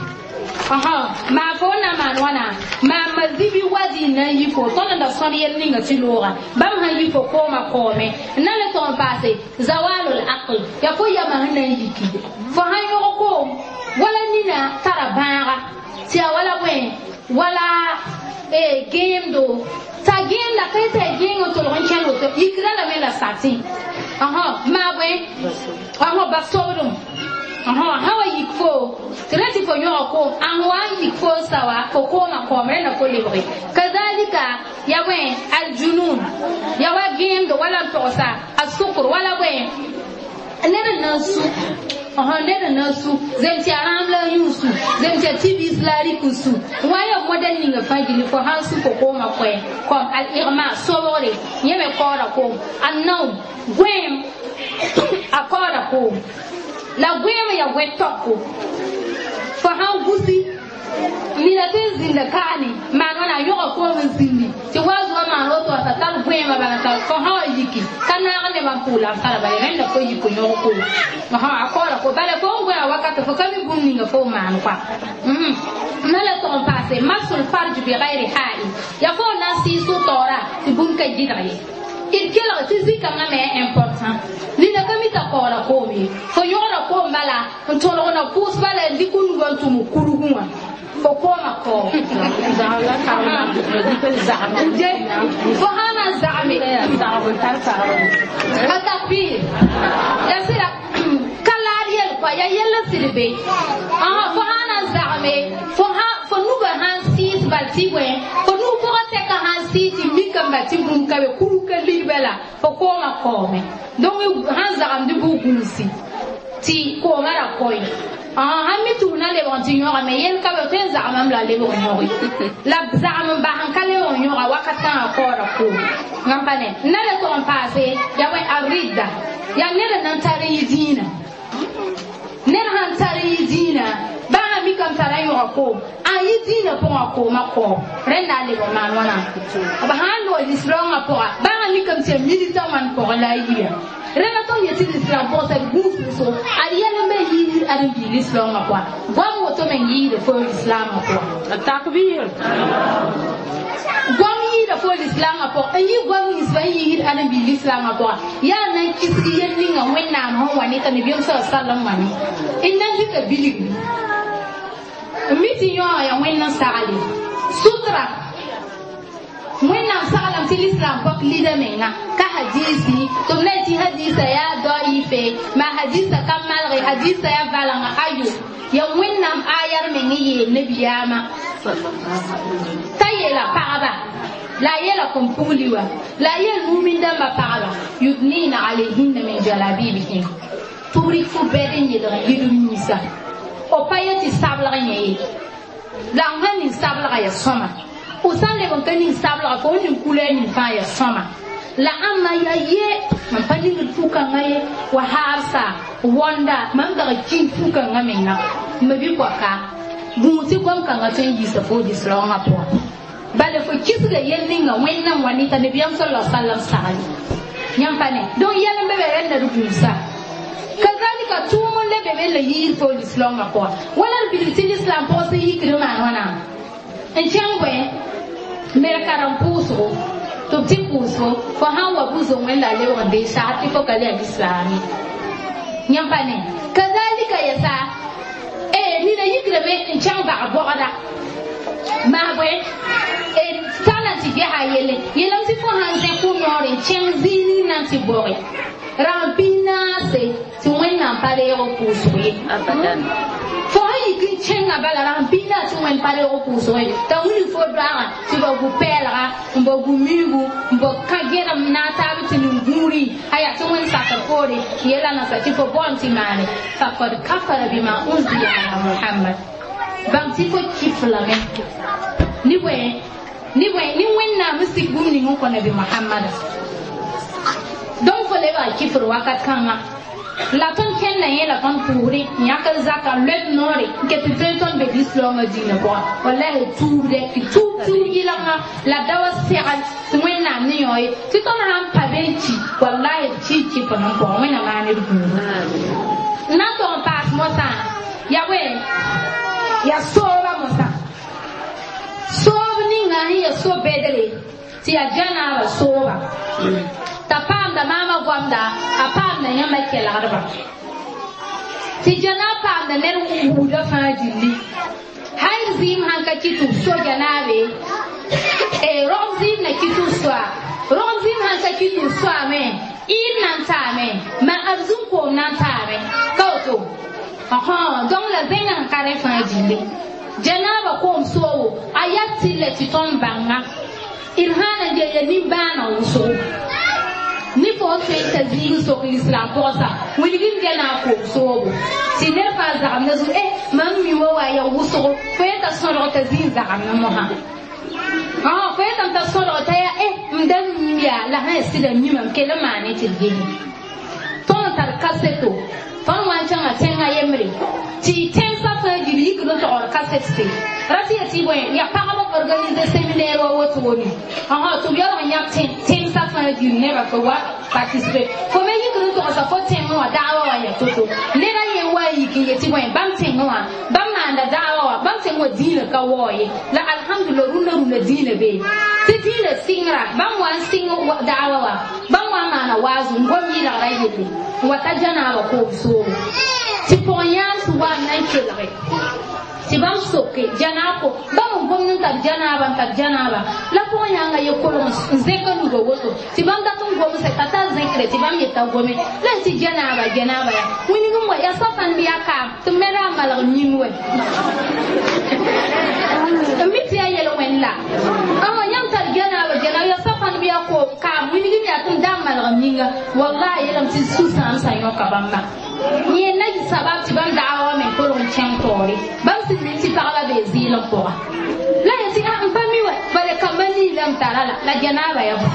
maa fo n na maan wãna maa mazibi wazi n na n yi fo tõnd n da sõd yɛl ninga tɩ looga bãmb sãn yi fo koomã koome n na le tʋg n paase zawalul aql yaa fo yamã sẽn na n yiki fo sãn yõg koom wala nina tara bãaga tɩ yaa wala bõe wala gẽemdo t'a gẽemda ka t'a gẽeng n tolg n kẽnd woto yikra lame la satẽ maa bõe ba sobdem sã wa yik fo tɩ ra tɩ fo yõga koom ãn wa n yik fo n sa wa fo koomã koom rẽnda fo lebge kazalika ya bõe aljunun ya wa gẽemdo wala n togsa a sukr wala bõe ned n na n su ned n na n su zem tɩ a rãam la a yũ su zem tɩ a tibis la a rɩk n su wã ya modɛl ninga fãa gilli fo sãn su fo koomã koɛ kom al igma sobgre yẽ me kaooda koom a naoom gõeem a kaooda koom la gõeem ya gõe tɔko fo sãn gusi nina tɩ n zĩnda kaane maan wãna a yõga koom n zĩndi tɩ wa zoa maan woto t'a tar gõeemã bala t'a fo sã wa yiki ka naag nebã n pʋʋla n fara bala rẽnda fo yik yõg koom a kaooda ko bala fo n gõe a wakata fo ka mi bũmb ninga fo maan koa na la tʋg n paase masul farj bi gayri ha'il yaa fo n na n sɩɩs taoora tɩ bũmb ka gɩdg ye d kelg tɩ zĩ-kãngã me important nina ka mi t'a kaooda koom ye fo yõgda koom bala n tõlg na pʋʋs bala n dɩk nugã n tʋm kurgẽ wã fo koomã kaoom fo sã na n zagme ka takbir ya sɩda ka laad yel kɔa ya yell n sɩd be fo sã na n zagme fo nugã sã n sɩɩs bal tɩ bõe fo nug pʋgã tɛka sã n sɩɩs tɩ mikame bal tɩ bũmb ka be kurg ka ligba la fo koomã kaoome donc sãn zagemd bʋ gũusi tɩ koomã ra koe sãn mi tɩ na lebg n tɩ yõgame yel ka be tõe n zagemame la lebg n yõge la zagem n bas n ka lebg n yõga wakat kãngã kaooda koom n pa ne n na le tʋg n paase yaa bõe a rɩdda yaa ned n na n tar n yɩ dĩinã ned sãn tar n yɩ dĩinã baa sã mikame tara n yõga koom a yɩ dĩinã pʋgã koomã kaoom rẽnda a lebg maan wãna b sã n loog lislaoongã pʋga baa sã mikame tɩ ya militã wãn pʋgẽ la a yiya rẽnda tõnd yetɩ lislaam pʋgsa d gũus wʋsgo ad yɛl n be yiisd ãdem-biig lislaoongã pʋga goam woto me n yɩɩda fo lislaamã pʋga takbir goam yɩɩda fo lislaamã pʋga n yɩ goam ninsbã n yiisd ãdem-biig lislaamã pʋga yaa na n kisg yel ninga wẽnnaam sẽn wa ne t'a nabiyaam sa sallam wã ne n na n dɩka bilgri n mi tɩ yõoga yaa wẽnd n sagle sutra wẽnnaam saglame tɩ lislaam pɔk lida menga ka hadisi tɩ b na tɩ hadisa yaa daife maa hadisa ka malge hadisa yaa valengã ayo yaa wẽnnaam ayar meng n yeel nabiyaamã t'a yeela pagba la a yeela kõn-pugli wa la a yeel mumin dãmbã pagba yudnina alayhinna min jalabibihin tɩ b rɩk fo bɛd n yelg n yidb yĩnsa b pa ye tɩ sablg yẽ ye la n sãn ning sablga yaa sõma f sãn leb n ka ning sablga fo n ning kula ning fãa yaa sõma la ãmba yaa ye mam pa ningd fu-kãngã ye wa haarsa wõnda mam dag kĩng fu-kãngã menga ma bɩ koaka gũus tɩ goam-kãngã tõe n yiisa fo lislaoongã pʋgã bala fo kisga yel ninga wẽnnam wa ne t'a nabiyaam sala sallam sagl yãmb pa ne donc yɛl n be be rẽnda d gũusa kazalika tʋʋm n le be me la yiir fo lislaoongã pʋga wala d bilg tɩ lislaam pʋgã sẽn yikd maan wãna n kẽng bõe mer karen pʋʋsgo tɩ b tɩ pʋʋsgo fo sãn wa bu-zong wẽnda a lebg n dee sagr tɩ fo ka le a lislaame yãmb pa ne kazalika yɛsa nina yikdame n kẽng bag bɔgda maa bõe t'a na tɩ gesa yelle yeelame tɩ fo sãn zẽ kʋ-noore n kẽng zĩig ning na n tɩ bɔge rãmb pis naase tɩ wẽnnaam pa reeg pʋʋsg ye abadan Fo sẽn yik n kẽngã bala ra sẽn pĩnda tɩ wẽnd pa reeg pʋʋsgẽ t'a wilg fo doaagã tɩ ba gu pɛɛlga n ba gu miigu n ba kã gẽdem na n taab tɩ nin-gũudĩ a yaa tɩ wẽnd sakr poore yela nasa tɩ fo baoon tɩ maane faqad kafara bima unzila ala Muhammad bãng tɩ fo kif lame ne bõe ne bõe ne wẽnnaam n sik bũmb ning n kõ nabi Muhammada. Donc fo lebga kifr wakat kãngã la tõnd kẽnda yẽla tõnd pʋʋsdẽ n yãk n zaka n loeb noore n ket n tõe tõnd be lislaoongã diinã pʋgã wallahi tuubdɛ tɩ tuub tuub yɩlgã la da wa segl tɩ wẽnnaam ne yõ ye tɩ tõnd sãn pa be n ki wallahi d ki kɩf n pʋgã wẽnna maan d gũudu n na n tog n paas mosã ya bõe ya sooba mosã soob ninga sẽn ya so-bɛdre tɩ ya janaaba sooba t'a paamda maama goamda a paamda yãmba kelgdba tɩ janaab paamda ned wuuda fãa gilli hay zɩɩm sãn ka kɩ tɩ b so janaabe rogm zɩɩm na kɩ tɩ b soa rogm zɩɩm sãn ka kɩ tɩ b soame ɩɩb na n taame ma arzũn-koom na n taame ka woto donc la zẽngã sẽn ka rẽ fãa gilli janaaba koom soobo a yaa tɩlla tɩ tõnd bãnga d sãn na n gel ya nimbãaneg wʋsgo ni fo n tõe n ta zĩig n sok lislaam pʋgsa wilg n gɛna a koom soobo tɩ ned fãa zagemda zug mam mi wa wa ya wʋsgo fo yeta sõdg t'a zĩig zagemd mosã fo yetame t'a sõdg t'a yaa m da mim yaa la sã ya sɩda mimame kell n maane tɩ d gese tõnd tar kaseto tõnd wa n kẽngã tẽngã yembre tɩ tẽmsã fãa gil yikd n togd kaset se ra tɩ ya tɩ bõe ya pagb n organise séminaire wa wotone tɩ b yaoog n yãk tẽmsã fãa gil nebã tɩ wa participer fo me yikd n togsa fo tẽngẽ wã daawa wã ya to-to ned a yen wa n yik n yetɩ bõe bãmb tẽngẽ wã bãmb maanda daawa wã bãmb tẽng wã dĩinã ka waoo ye la alhamdulillah rũndã rũndã dĩinã bee tɩ dĩinã sɩngra bãmb wa n sɩng daawa wã bãmb wa n maana waazu n gom yɩlgra yelle n wa ta janaaba koom soobo tɩ pʋg-yãans wa n na n kelge tɩ bãmb soke janaab ko bãmb n gomd n tar janaaba n tar janaaba la pʋg-yãngã ye kolg n zẽk n nuga woto tɩ bãmb dat n gomse t'a tar zẽkre tɩ bãmb yeta gome la tɩ janaaba janaaba ya wilg n wa yaa safãn bɩ yaa kaam tɩ me ra a malg yĩng wɛ n mi tɩ yaa yel-wẽnd la yãmb tar janaaba janaaba yaa safãn bɩ yaa kaam wilg n yaa tɩ n da n malg yĩnga wallahi yeelame tɩ sũ-sãamsã yõka bãmba yẽ na sabab tɩ bãmb daawa wã me kolg n kẽng taoore bãmb sẽn mi tɩ pagba bee zɩɩl n pʋga la ya tɩ n pa mi wɛ bala kamba nii la m tara la la janaaba ya bõ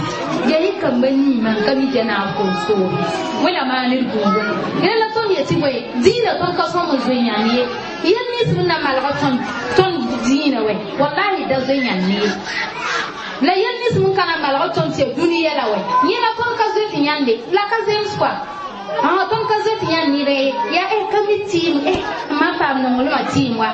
ya yɩ kamba nii mam ka mi janaab koom soobe wẽna maan d gũugo rẽ la tõnd yetɩ bõe dĩinã tõnd ka sõm n zoe yãnd ye yel nins n na malg tõnd dĩinã wɛ wallahi da zoe yãnd ye la yel nins n ka na malg tõnd tɩ ya dũni yɛla wɛ yẽna tõnd ka zoe tɩ yãnde la ka zems kɔa tõnd ka zoe tɩ yãnd ned ye yaa ka mi tɩɩm ma paam nonglmã tɩɩm wa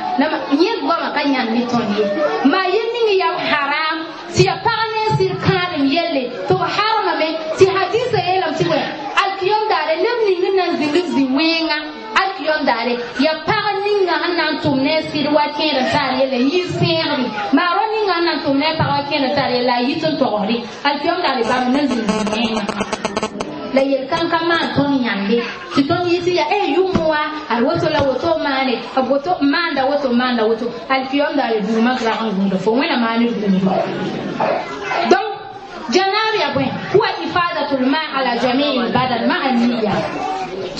yẽ goamã ka yãnd ne tõnd ye maa yel ning yaa haram tɩ ya pag ne n sɩd kãadem yelle tɩ b harmame tɩ hadisa yeelame tɩ bõe alkiyom daare neb ning n na n zĩnd b zĩ-wẽnga alkiyom daare ya pag ninga sẽn na n tʋm ne a sɩd wa kẽed n taar yelle n yi sẽegre maa rao ninga sẽn na n tʋm ne a pag wa kẽed n taar yelle a yit n togsde alkiyom daare bãmb na n zĩnd zĩ-wẽnga la yel-kãn ka maan tõnd yãnde tɩ tõnd yɩ tɩ ya yʋng wa ad woto la woto maane b woto maanda woto maanda woto alkiyom daare duuma rag n gũuda fo wẽna maan d gũudo donc janaab ya bõe huwa ifadatul ma ala jamii lbadan maa niya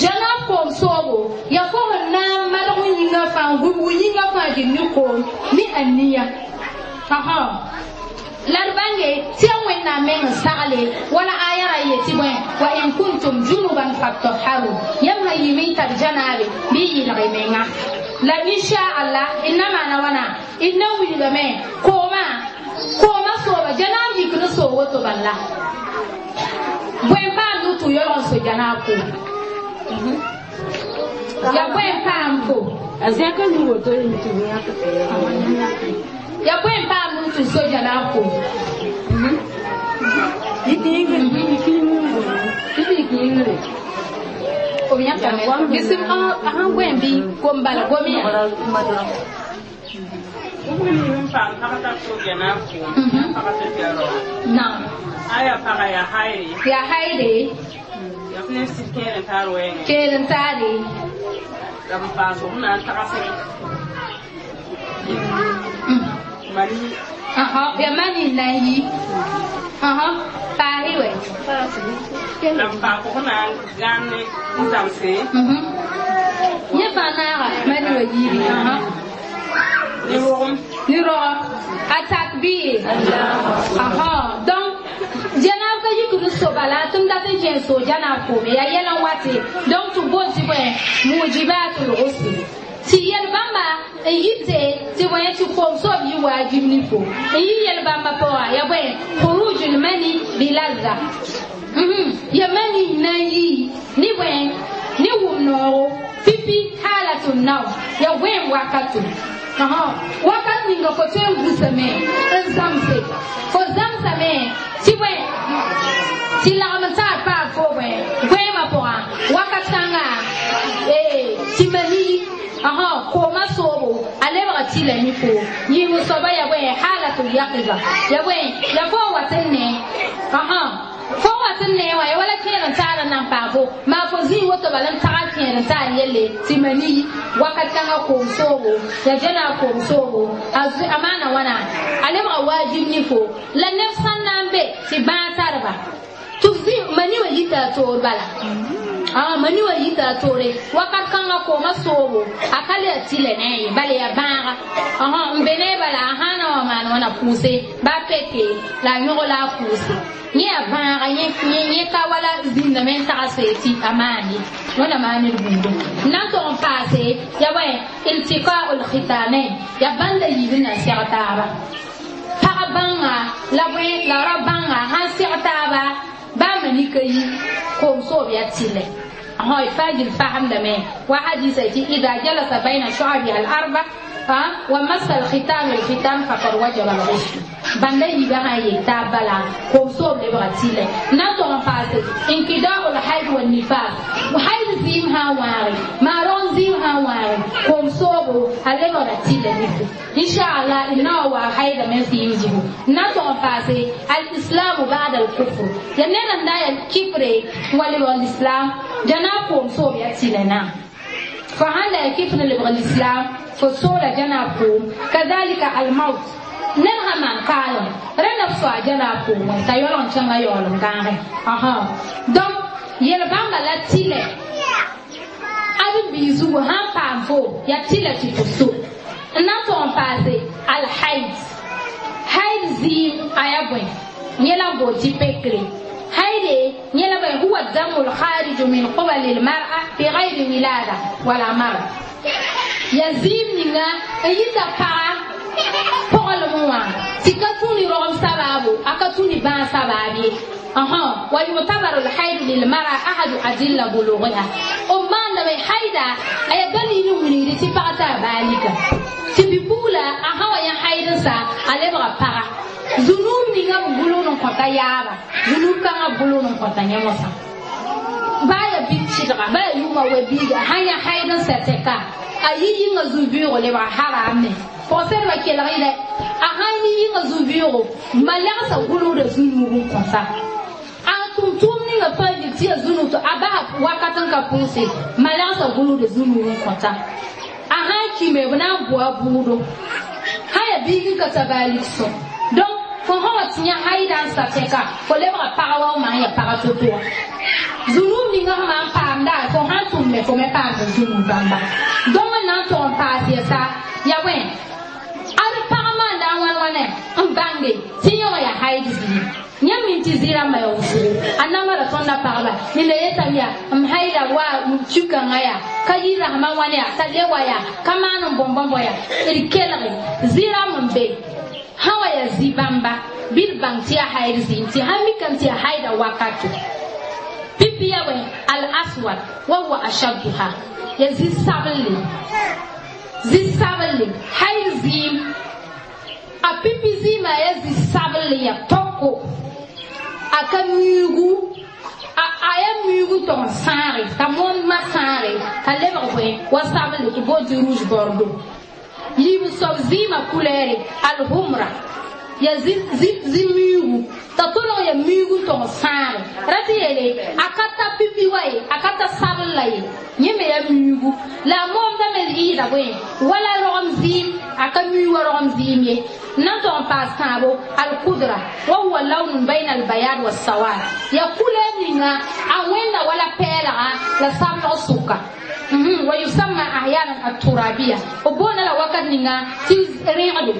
janaab koom soobo ya fo sẽn na n malg yĩngã fãa n gũbg yĩngã fãa gil ne koom ne a niya la d bãnge tɩ ya wẽnnaam meng n sagle wala aya ra yetɩ bõe wa in kuntum junuban fatahharu yãmb sã yɩɩme n tar janaabe bɩ y yɩlg y menga la inchallah d na maana wãna d na wilgame koomã koomã sooba janaab yik n soog woto bala bõe n paam tɩ yaoog n so janaab koom ya bõe n paam fo A zẽk n nug woto tɩ b yãk ya bõe n paam tɩ so janaab koom yik yĩngre b yãkame bisim sãn goẽ bɩ kom bala gom ya naam aya paga ya haire ya haire ya ne sir kẽer n taar wɛɛngẽ keel n taare La m paas f na n tagsẽ mani. Aha, ya mani na yi. Aha, pahi we. La m paas f na n gãane n zãmse. Yẽ fãa naaga mani wa yiibi. Aha. Ne rogem. Ni roga. Atakbir. Aha, donc janaab ka yikd n so bala tɩ m dat n kẽ n soog janaab koome yaa yɛl n wate. Donc tɩ bool tɩ bõe mujibatul ghusl tɩ yɛl bãmba n yite tɩ bõe tɩ koom soob yɩ waajib ne fo n yɩ yɛl bãmba pʋga ya bõe khurujul mani bilazza ya mani na n yi ne bõe ne wʋm noogo pipi halatun naw ya goẽem wakato. Aha, wakat ninga fo tõe n gusame n zãmse fo zãmsame tɩ bõe tɩ lagm n taar paam fo bõe goẽemã pʋgã wakat kãnga tɩ mani. Aha, kooma soobo a lebga tɩla ne fo yĩng soaba ya bõe halatul yaqiza ya bõe ya fo wat n ne. Aha, fo wat n ne wã ya wala kẽer n taar n nan paam fo maa fo zĩig woto bala n tagl kẽer n taar yelle tɩ mani wakat kãngã koom soobo ya jɛna koom soobo a maana wãna a lebga waajib ne fo la neb sãn na n be tɩ bãag tarba tɩ b zĩ mani wã yita a toor bala. Ah, mani wa yita a toore wakat kãngã kooma soobo a ka le a tɩlɛ ne a ye bala ya bãaga. Aha, n be ne bala a sã na wa maan wãna pʋʋse ba peke la a yõg la a pʋʋse yẽ ya bãaga yẽ ka wala zĩndame n tags tɩ a maan ye wẽna maan d buudo n na n tog n paase ya bõe iltikaul khitanain ya bãnda yiib n na n seg taaba pag bãnga la bõe la ra bãnga sãn seg taaba baa mani ka yi koom soob ya tɩlɛ. هاي فاجر فهم دمه وحديث إذا جلس بين شعبها الأربع ومس الختام الختام فقد وجب الغسل. بنده يبقى يتابلا كوسوب لبغتيله نتو فاس انقضاء الحيض والنفاس وحيض زيمها واري مارون زيمها واري كوسوب لبغتيله إن شاء الله إنه هو حيض من سيمزه. نتو فاس الإسلام بعد الكفر ينن نايا الكفر والإسلام جنابهم صوب يتيلنا فهل كيف نلبغ الإسلام فصولة جنابهم كذلك الموت نلها من قالوا رنا فسوا جنابهم وانتيولون شنغا يولون غانغي. أها، donc يلبان لا تيلة أبي بيزو هم بامفو يا تيلة تفسو ناتون باسي الحيض حيض زيم أيابوين يلا بوتي بكري هيدي يلا هو الدم الخارج من قبل المرأة بغير ولادة ولا مرض. يزيم نينا يتا با بقول موا تكتوني رغم سبابو أكتوني بان سبابي. أها، ويعتبر الحيض للمرأة أحد أدلة بلوغها. أما لما حيدا أي دليل من يرتي بعتا بالك تبيبولا أها يا حيدا سا على بقى بقى zunub ninga b gʋlg n kõta yaaba zunub kãngã gʋlg n kõta yẽ mosã baa ya bɩ tɩdga baa ya yʋʋma wa biiga sãn ya haid n sɛ tɛka a yi yĩngã zu-vɩʋʋgo lebga haraame pɔgsɛdbã kelg yɩlɛ a sãn yi yĩngã zu-vɩʋʋgo ma lagsa gʋlgda zunub n kõta a tʋm-tʋʋm ninga fãa yel tɩ ya zunub tɩ a basa wakat n ka pʋʋse ma lagsa gʋlgda zunub n kõta a sãn kime b na n bʋa bʋʋdo sãn ya biig n ka tabaalik sõ. Donc fo sã wa tɩ yã haida n sa tɛka fo lebga pagã wa f maan ya pagã to-to wã zunub ninga sẽn maan paamda fo sãn tʋmme fo me paamd zunub bãmba. Donc n na n tog n paas yɛsa ya bõe ad pagã maanda a wãn wãne n bãnge tɩ yẽ wã ya haid zĩig yãmb min tɩ zɩ-rãmbã ya wʋsgo a namara tõndã pagba nina yetame yaa m haida wa tũ-kãngã yaa ka yɩ rasmã wãne yaa t'a le wa yaa ka maan n bõn-bõmbo yaa d kelge zɩ-rãmb n be sã wa ya zĩ-bãmba bɩ d bãng tɩ yaa haid zĩig tɩ sãn mikame tɩ yaa haida wakato pipi ya bõe al aswad wa huwa ashadduha ya zĩ-sabelle zĩ-sabelle haid zĩim a pipi zĩimã ya zĩ-sabelle ya toko a ka miigu a ya miigu tog n sãage t'a moondmã sãage t'a lebg bõe wa sabelle tɩ boon tɩ rouge bordeaux yiib soab zĩimã kulɛɛre alhumra Ya zimiigu t'a tolg ya miigu n tog sãage ra tɩ yeele a ka ta pipi wa ye a ka ta sabl la ye yẽ me ya miigu la a moomdame yɩɩda bõe wala rogem zɩɩm a ka mii wa rogem zɩɩm ye n na n tog n paas tãabo alkudra wa huwa lawnun bayna albayad wasawad ya kulɛɛr ninga a wẽnda wala pɛɛlga la sablg sʋka wa yusamma ahyanan aturabiya b boonda la wakat ninga tɩ rẽgdo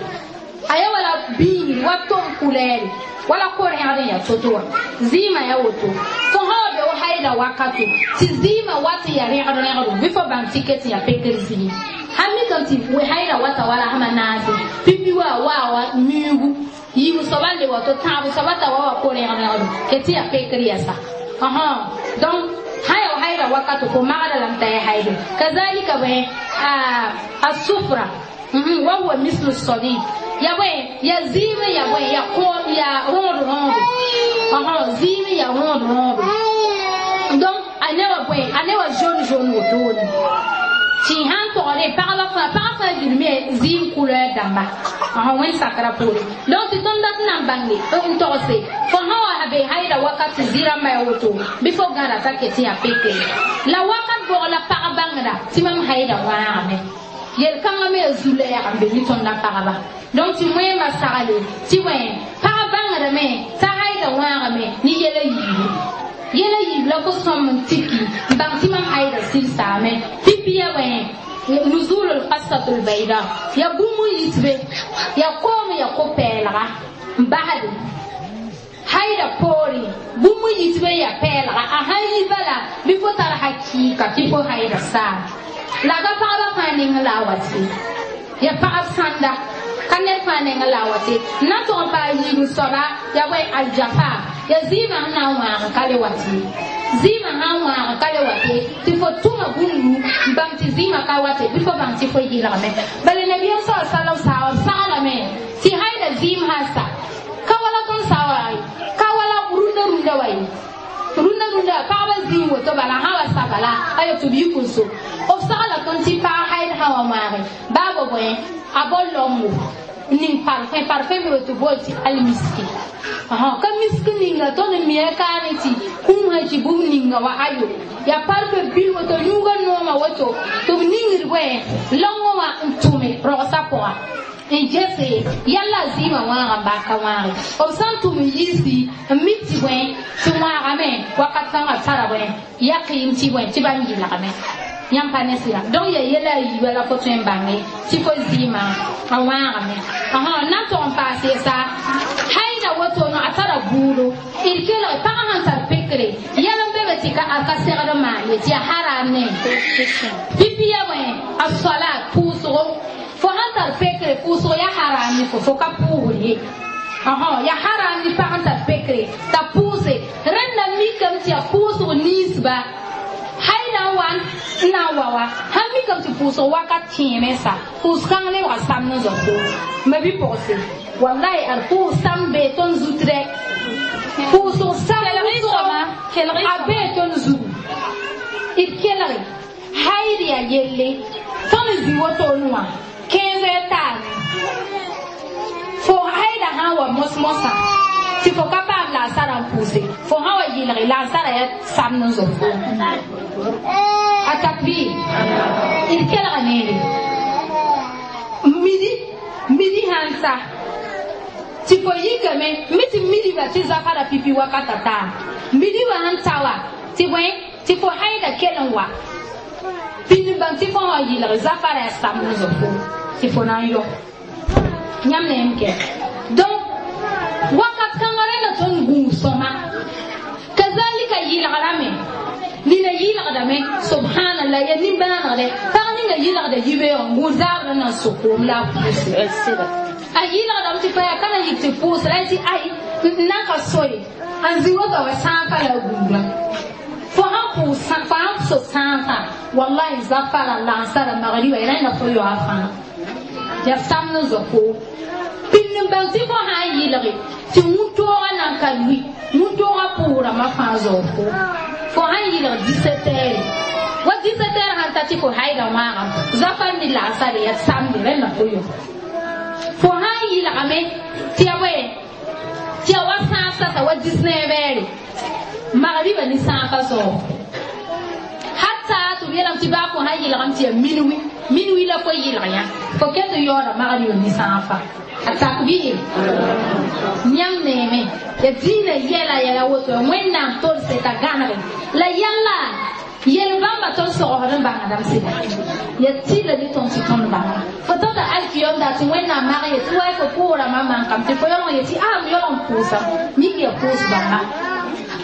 aya wala biingri wa tom kulɛɛre wala ko-rẽgd n yaa to-to wã zɩɩmã yaa woto fo sã wa be wa haida wakato tɩ zɩɩmã wat n yaa rẽgd rẽgdo bɩ fo bãng tɩ ket n yaa pekr zĩig sãn mikame tɩ haida wata wala sãma naase pipi wa waa wa miigu yiib soaba n le wato tãab soaba t'a wa wa ko-rẽgd rẽgdo ket tɩ yaa pekr yɛsa donc haya haida wakato fo magda lame t'a yaa haido kazalika bõe a sufra wa huwa mislu sadid ya bõe ya zɩɩm ya bõe ya kõ ya rõod rõodo zɩɩm ya rõod rõodo donc a ne wa bõe a ne wa jaune jaune wotone tɩ sãn togre pagba fãa pagã fãa gilme zɩɩm couleur dãmba wẽnd sakra poore donc tɩ tõnd dat n na n bãnge n togse fo sã wa be haida wakat tɩ zɩ-rãmbã ya woto bɩ fo gãda t'a ket n yaa pekre la wakat bʋg la pag bãngda tɩ mam haida wãagame yel-kãngã me ya zu-lɛɛg n be ne tõndã pagba donc tɩ wẽemã sagle tɩ wẽ pag bãngdame t'a haida wãagame ne yɛla yiibu yɛla yiib la fo sõm n tiki n bãng tɩ mam haida sɩlsaame pipi ya wẽ nuzul lqasat lbayda ya bũmb n yitbe ya koom ya ko-pɛɛlga n basde haida poore bũmb n yitbe ya pɛɛlga a sãn yi bala bɩ fo tar hakɩɩka tɩ fo haida saam la ka pagba fãa ning la a wate ya pagb sãnda ka ned fãa neng la a wate n na n tog n paa yiib soaba ya bõe aljafa ya zɩɩmã sẽn na n wãag ka le wate zɩɩmã sã n wãag ka le wate tɩ fo tʋma bũmbu n bãng tɩ zɩɩmã ka wate bɩ fo bãng tɩ fo yɩlgame bala nabiyaam sa salam saaba b saglame tɩ haida zɩɩm sã sa ka wala tõnd sa wa ka wala rũndã rũndã wa ye rũndã rũndã pagba zĩig woto bala sã wa sa bala ayo tɩ b yik n so b sagla tõnd tɩ pag haid sã wa wãage baa bo bõe a bao longo ning parfum parfum be tɩ bool tɩ almiski ka misk ninga tõnd n mia kaane tɩ kũum sã tɩ bũmb ninga wa ayo yaa parfum bil woto yũuga noomã woto tɩ b ningd bõe lõngõ wã n tʋme rogsã pʋga n gese yalla zɩɩmã wãaga n baa ka wãage b sã n tʋm n yiisi n mik tɩ bõe tɩ wãagame wakat kãngã tara bõe yaqɩɩm tɩ bõe tɩ bãmb yɩlgame yãmb pa ne sɩda donc ya yɛla a yiiba la fo tõe n bãnge tɩ fo zɩɩmã a wãagame n na n tog n paas yɛsa haida wotono a tara buudo d kelg pagã sãn tar pekre yɛl n be be tɩ a ka segd n maan ye tɩ ya haram ne pipi ya bõe a soala pʋʋsgo fo sãn tar pekre pʋʋsg ya haram ne fo ka pʋʋsd ye ya haram ne pag n tar pekre t'a pʋʋse rẽnda mikame tɩ ya pʋʋsg ninsba haida n wa n na n wa wa sãn mikame tɩ pʋʋsg wakat kẽeme sa pʋʋs kãng lebga samd n zao ma bi-pʋgse wallahi ad pʋʋs sãm bee tõnd zut dɛ pʋʋsg sam a bee tõnd zugu d kelge haid yaa yelle tõnd zĩ wotone wã 15 heures taame fo haida sã n wa mos-mosã tɩ fo ka paam laasara n pʋʋse fo sã wa yɩlge laasara yaa samd n zao a takbir d kelga neere midi midi sãn sa tɩ fo yikame mi tɩ midi ba tɩ zafara pipi wakata taa midi wa sãn ta wa tɩ bõe tɩ fo haida kell n wa pĩnd bãng tɩ fo wã yɩlg zafara yaa samd n zao fo tɩ fo na n yɔ yãmb neem kɛ donc wakat kãngã rẽnda tõnd gũus sõma kazalika yɩlgrame nina yɩlgdame subhanallah ya nimbãanegdɛ pag ninga yɩlgda yibeoog n gũud zaabr n na n sʋk koom la a pʋʋse a yɩlgdame tɩ pa yaa ka na yik tɩ pʋʋs la tɩ ay n na n ka soye n zĩ woto wa sãn pa la a gũuda fo sãn pʋʋs fo sãn so sãn fãa wallahi zafara lansara magriba rẽnda fo yaoa fãa yaa samd n zao koom pĩnd n bãng tɩ fo sã n yɩlge tɩ wũ-toogã nan ka lʋɩ wũ-toogã pʋʋrãmbã fãa zao koom fo sãn yɩlg 17 heures wa 17 heures sãn ta tɩ fo haida wãagam zafar ni laasare ya samde rẽnda fo yo fo sãn yɩlgame yetame tɩ ya bõe tɩ ya wa sãaf sasa wa 19 heures magriba ni sãafa zaoogo hatta tɩ b yeelame tɩ baa fo sã yɩlgame tɩ ya minuit minuit la fo yɩlg yã fo ket n yaooda magriba ni sãafa a takbir yãmb neeme ya diinã yɛla yɛla woto wẽnnaam tolse t'a gãnege la yãlla yel-bãmba tõnd sogsd n bãngdame sɩda ya tɩla ne tõnd tɩ tõnd bãnga fo tota alkiyom da tɩ wẽnnaam mag ye tɩ wa fo pʋʋrãmã mankame tɩ fo yaoog n ye tɩ a m yaoog n pʋʋsam mik ya pʋʋs bãmba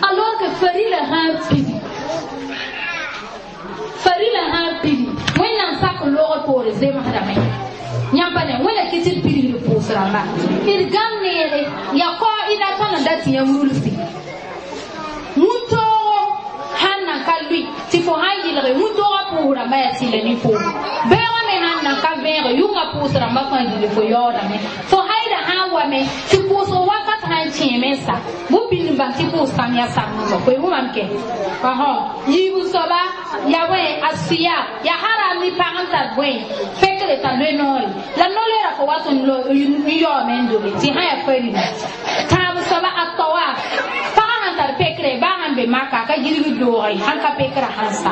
alors que farila sã n pidi farila sã n pidi wẽnnaam sak n loogr poore zemsdame yãmb pa ne wẽnna kɩ tɩ d pidgd pʋʋs rãmba d gãm neere ya kao ila tõnd n da tɩ yãmb rulsi wũntoogo sãn nan ka lʋɩ tɩ fo sãn yɩlge wũntoogã pʋʋs rãmbã yaa tɩlɛ ne foom beoogã me sãn nan ka vẽege yʋngã pʋʋs rãmbã fãa yile fo yaoodame fo haida sãn wame tɩ pʋʋsg wakat sãn kẽeme n sa bũmb n bãng tɩ pʋʋs kãm yaa sam-nugã koe wʋmam kɛ yiibu soaba ya bõe a sɩya ya haram ni pag n tar bõe pekre t'a loe noore la no-loeera fo wat n yaoome n dobe tɩ sã yaa farila tãab soaba a tawa pagã sãn tar pekre baa sãn be maka a ka yirg doogre sãn ka pekra sãn sa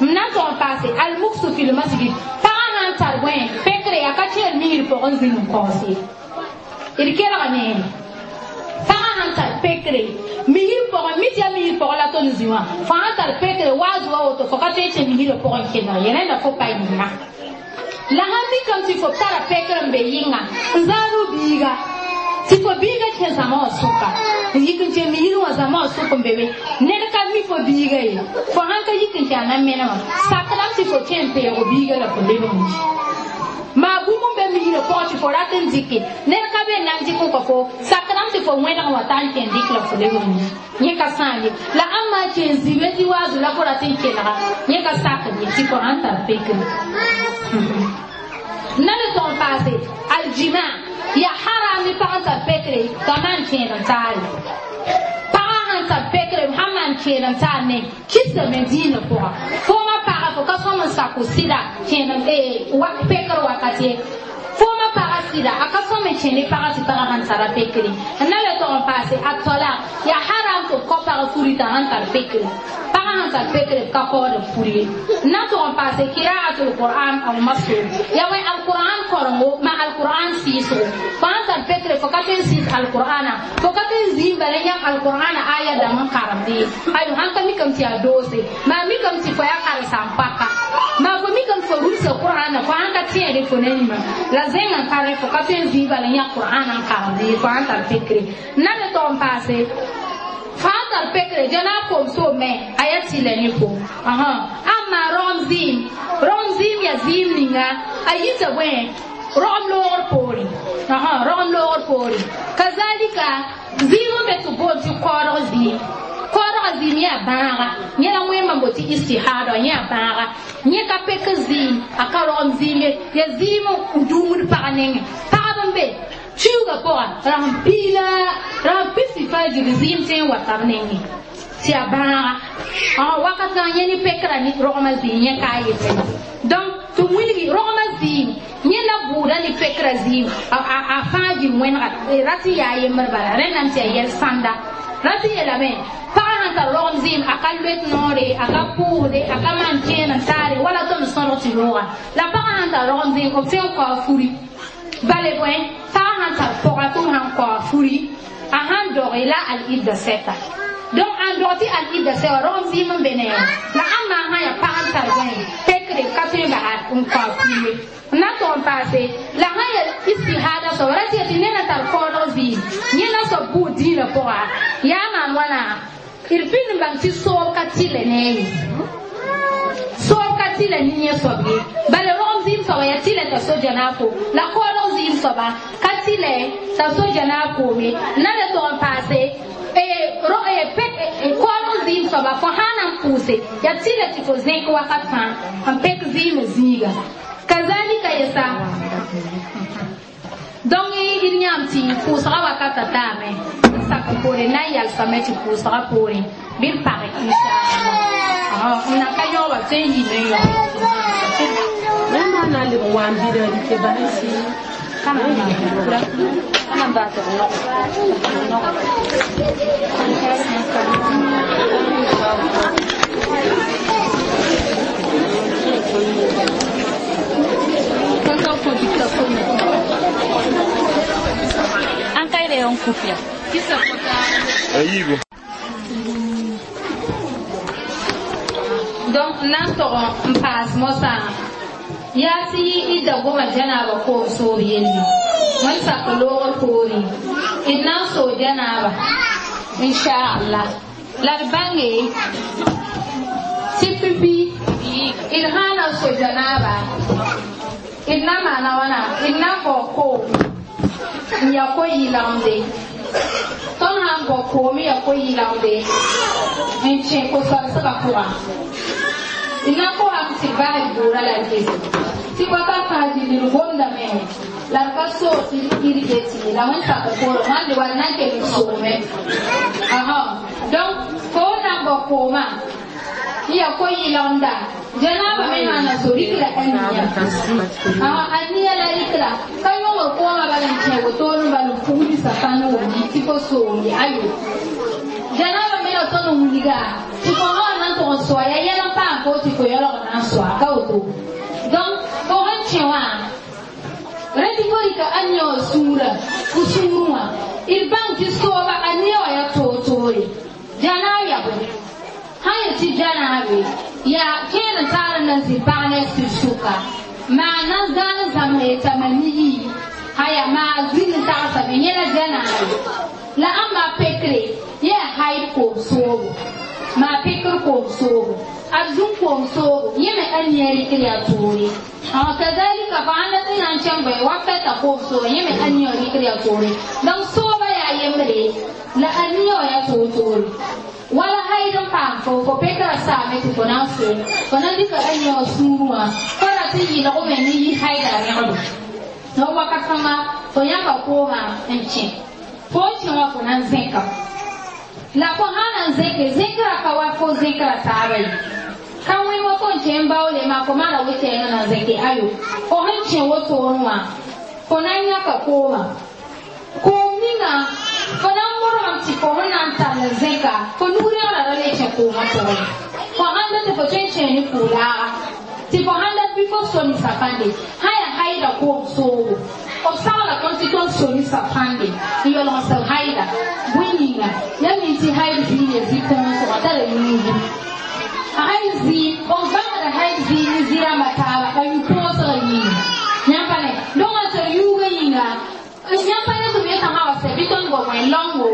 m na n tog n paase almuksu fi lmasjid pagã sãn tar bõe pekre a ka kẽer misr pʋgẽ zĩnd n kaoos ye d kelga neere pagã sãn tar pekre misr pʋgẽ mi tɩ yaa misr pʋgẽ la tõnd zĩ wã fo sãn tar pekre waaz wa woto fo ka tõe n kẽ misrã pʋgẽ kelg ye rẽnda fo pa yĩnga la sãn mikame tɩ fo tara pekr n be yɩnga n zãad biiga tɩ fo biiga kẽ zãma wã sʋka n yik n kẽ misr wã zãma wã sʋk n be be ned ka mi fo biiga ye fo sãn ka yik n kẽ a na menemã sakdame tɩ fo kẽ n peego biiga la fo lebg n yi maa bũmb n be misrã pʋgẽ tɩ fo rat n dɩke ned ka be n na n dɩk n kõ fo sakdame tɩ fo wẽneg wã t'a n kẽ n dɩk la fo lebg n yi yẽ ka sãam ye la ãmb maa kẽ n zĩbe tɩ waazu la fo rat n kelga yẽ ka sakd ye tɩ fo sãn tar pekre na le tog n paase aljima ya haram ni pag n tar pekre t'a maan kẽed n taare pagã sãn tar pekre sãn maan kẽed n taar ne kisame dĩinã pʋga foomã paga fo ka sõm n sako sɩda kẽed pekr wakat ye foomã paga sɩda a ka sõm n kẽ ne pagã tɩ pagã sãn tara pekre n na le tog n paase a tɔla ya haram tɩ b kao pag furi t'a sãn tar pekre pagã sãn tar pekre b ka kaood b furi ye n na tog n paase kiraatul qur'an aw maso ya wẽ alqur'an korengo ma alqur'an sɩɩsgo fo sãn tar pekre fo ka tõe n sɩɩs alqur'ana fo ka tõe n zĩig bala yãmb alqur'ana aya dãmb n karemde ye ayo sãn ka mikame tɩ yaa doose maa mikame tɩ fo yaa karen-saam paka maa fo mikame tɩ fo rulsa qur'ana fo sãn ka tẽede fo ne nima la zẽngã ka rẽ fo ka tõe n zĩig bala yã qur'ana n karemde ye fo sãn tar pekre n na le tog n paase fo sãn tar pekre jana kom so me a yaa tɩlɛ ne fo amma rogem zɩɩm yaa zɩɩm ninga a yita bõe rogem loogr poore rogem loogr poore kazalika zɩɩm n be tɩ boond tɩ kaoodg zɩɩm kaoodgã zɩɩm yaa bãaga yẽ la wẽnnaam n botɩ istihada yẽ yaa bãaga yẽ ka pek zɩɩm a ka rogem zɩɩm ye yaa zɩɩm n dũumd pag nengẽ pagb n be tuuga pʋga rasẽn piila rasẽn pisi fajr zɩɩm tõe n wa tab nengẽ tɩ yaa bãaga wakat kãngã yẽ ne pekra ne rogmã zɩɩm yẽ ka a yetẽ donc tɩ wilgi rogmã zɩɩm yẽ la bʋʋda ne pekra zɩɩm a fãa jil wẽnega rat n yaa yembr bala rẽndame tɩ yaa yɛl sãnda rat n yeelame pagã sãn tar rogem zɩɩm a ka loet noore a ka pʋʋsde a ka maan kẽen n taare wala tõnd sõdg tɩ rooga la pagã sãn tar rogem zɩɩm b tõe n kao furi bale bõe pagã sãn tar pɔga tɩ b sãn kao furi a sãn doge la al-idda sɛta donc an dog tɩ al-idda sɛ wã rogem zɩɩm n be ne la ãmb maa sã yaa pag n tar bõe pekre ka tõe n basa n kao furi ye n na tog n paase la sã yaa istihada soaba ra tɩ tɩ ned n tar kaoodg zɩɩm yẽ la soab bʋʋd dĩinã pʋga yaa maan wãna d pĩnd n bãng tɩ soob ka tɩlɛ ne a ye soob ka tɩlɛ ne yẽ soab ye bala rogem zɩɩm soaba yaa tɩlɛ t'a so janaafo la kaoodg zɩɩm soaba ka tɩlɛ t'a so janaaf koome na le tog n paase kaoodg zɩɩm soaba fo sã na n pʋʋse yaa tɩlɛ tɩ fo zẽk wakat fãa n pek zɩɩmã zĩiga kazalika yesa donc d yãam tɩ pʋʋsga wakata taame n sak n poore na n yalsame tɩ pʋʋsga poore bɩ d page inshallah n nan ka yõoba tõe n yɩɩme n yõ Wẽnnaam na n leb n wa n bida dɩke bas n sɩ. An kai da yan kufiya. Kisa Ayibo. Donc nan tɔgɔ n paas mosã yaa tɩ y da goma janaaba koom soor yelle wẽn sak loogr poorẽ d na n soo janaaba inchallah la d bãnge tɩ pipi d sã na so janaaba d na maana wãna d na n bao koom n ya ko-yɩlgemde tõnd sã n bao koom n ya ko-yɩlgemde n kẽ ko-sɔlsgã pʋgã na ko am tɩ bas bʋʋra la gese tɩ wakat fãa dĩnd d gomdame la d ka soog tɩ d irge tɩ la wẽn sak poorẽ wãnde wall na n kell n soome donc fo na n bao koomã n ya ko-yɩlgemda janaaba me sã na so rikra aniya aniya la rikra ka yõgr koomã bala n kẽ wotone bala n pugdi sapãn wʋmdi tɩ fo soomde ayo janaaba me la tõnd n wilga tɩ fo sã na n tʋg n soa ya yɛl n paam fo tɩ fo yaoolg na n soa ka woto donc fo sẽn kẽ wã rẽ tɩ fo rɩka aniya wã sũurã fo sũurẽ wã d bãng tɩ sooba aniya wã yaa toor-toore janaab yaa bõe sã yet tɩ janaabe yaa kẽer n taar n na n zĩ pag ne sɩd sʋka maa na n zãn n zãmsa yetame ne yii haya maa zĩnd n tagsame yẽ la janaabe la ãmba pekre yaa haid koom soobo maa pekr koom soobo a zũn koom soobo yẽ me aniya rɩkr yaa toore kazalika fa ãnda tɩ na n kẽng bõe wakata koom soobo yẽ me aniya rɩkr yaa toore donc sooba yaa yembre la aniya wã yaa toor-toore wala haid n paam fo fo pekra saame tɩ fo na n so fo na n dɩka aniya wã sũurẽ wã fo ra tɩ yɩlgme ne yi haida rẽgdo donc wakat fãnga fo yãka koomã n kẽ fo n kẽ wã fo na n zẽka la fo sã na n zẽke zẽkra ka wa fo zẽkra taaba ye ka wẽ wa fo n kẽ n baoole maa fo maana wetɛɛngã na n zẽke ayo fo sẽn kẽ wotone wã fo na n yãka koomã koom ninga fo na n modgem tɩ fo sẽn na n tall n zẽka fo nug rẽgra ra le kẽ koomã pʋgẽ fo sãn dat tɩ fo tõe n kẽe ne pʋʋlaaga tɩ fo sãn dat bɩ fo so ne sapãnde sã yaa haida koom soogo b sagla tõnd tɩ tõnd so ne sapãnde n yaoolg n seb haida bõe yĩnga ya mi tɩ haid zĩig ya zĩ-kõosgã tara yũugu haid zĩ b bãngda haid zĩ ne zĩ-rãmbã taaba a yũ-põosgã yĩnga yãmb pa ne donc n seb yũugã yĩnga yãmb pa ne tɩ m yetã wa sɛ bɩ tõnd bao wẽn lãngo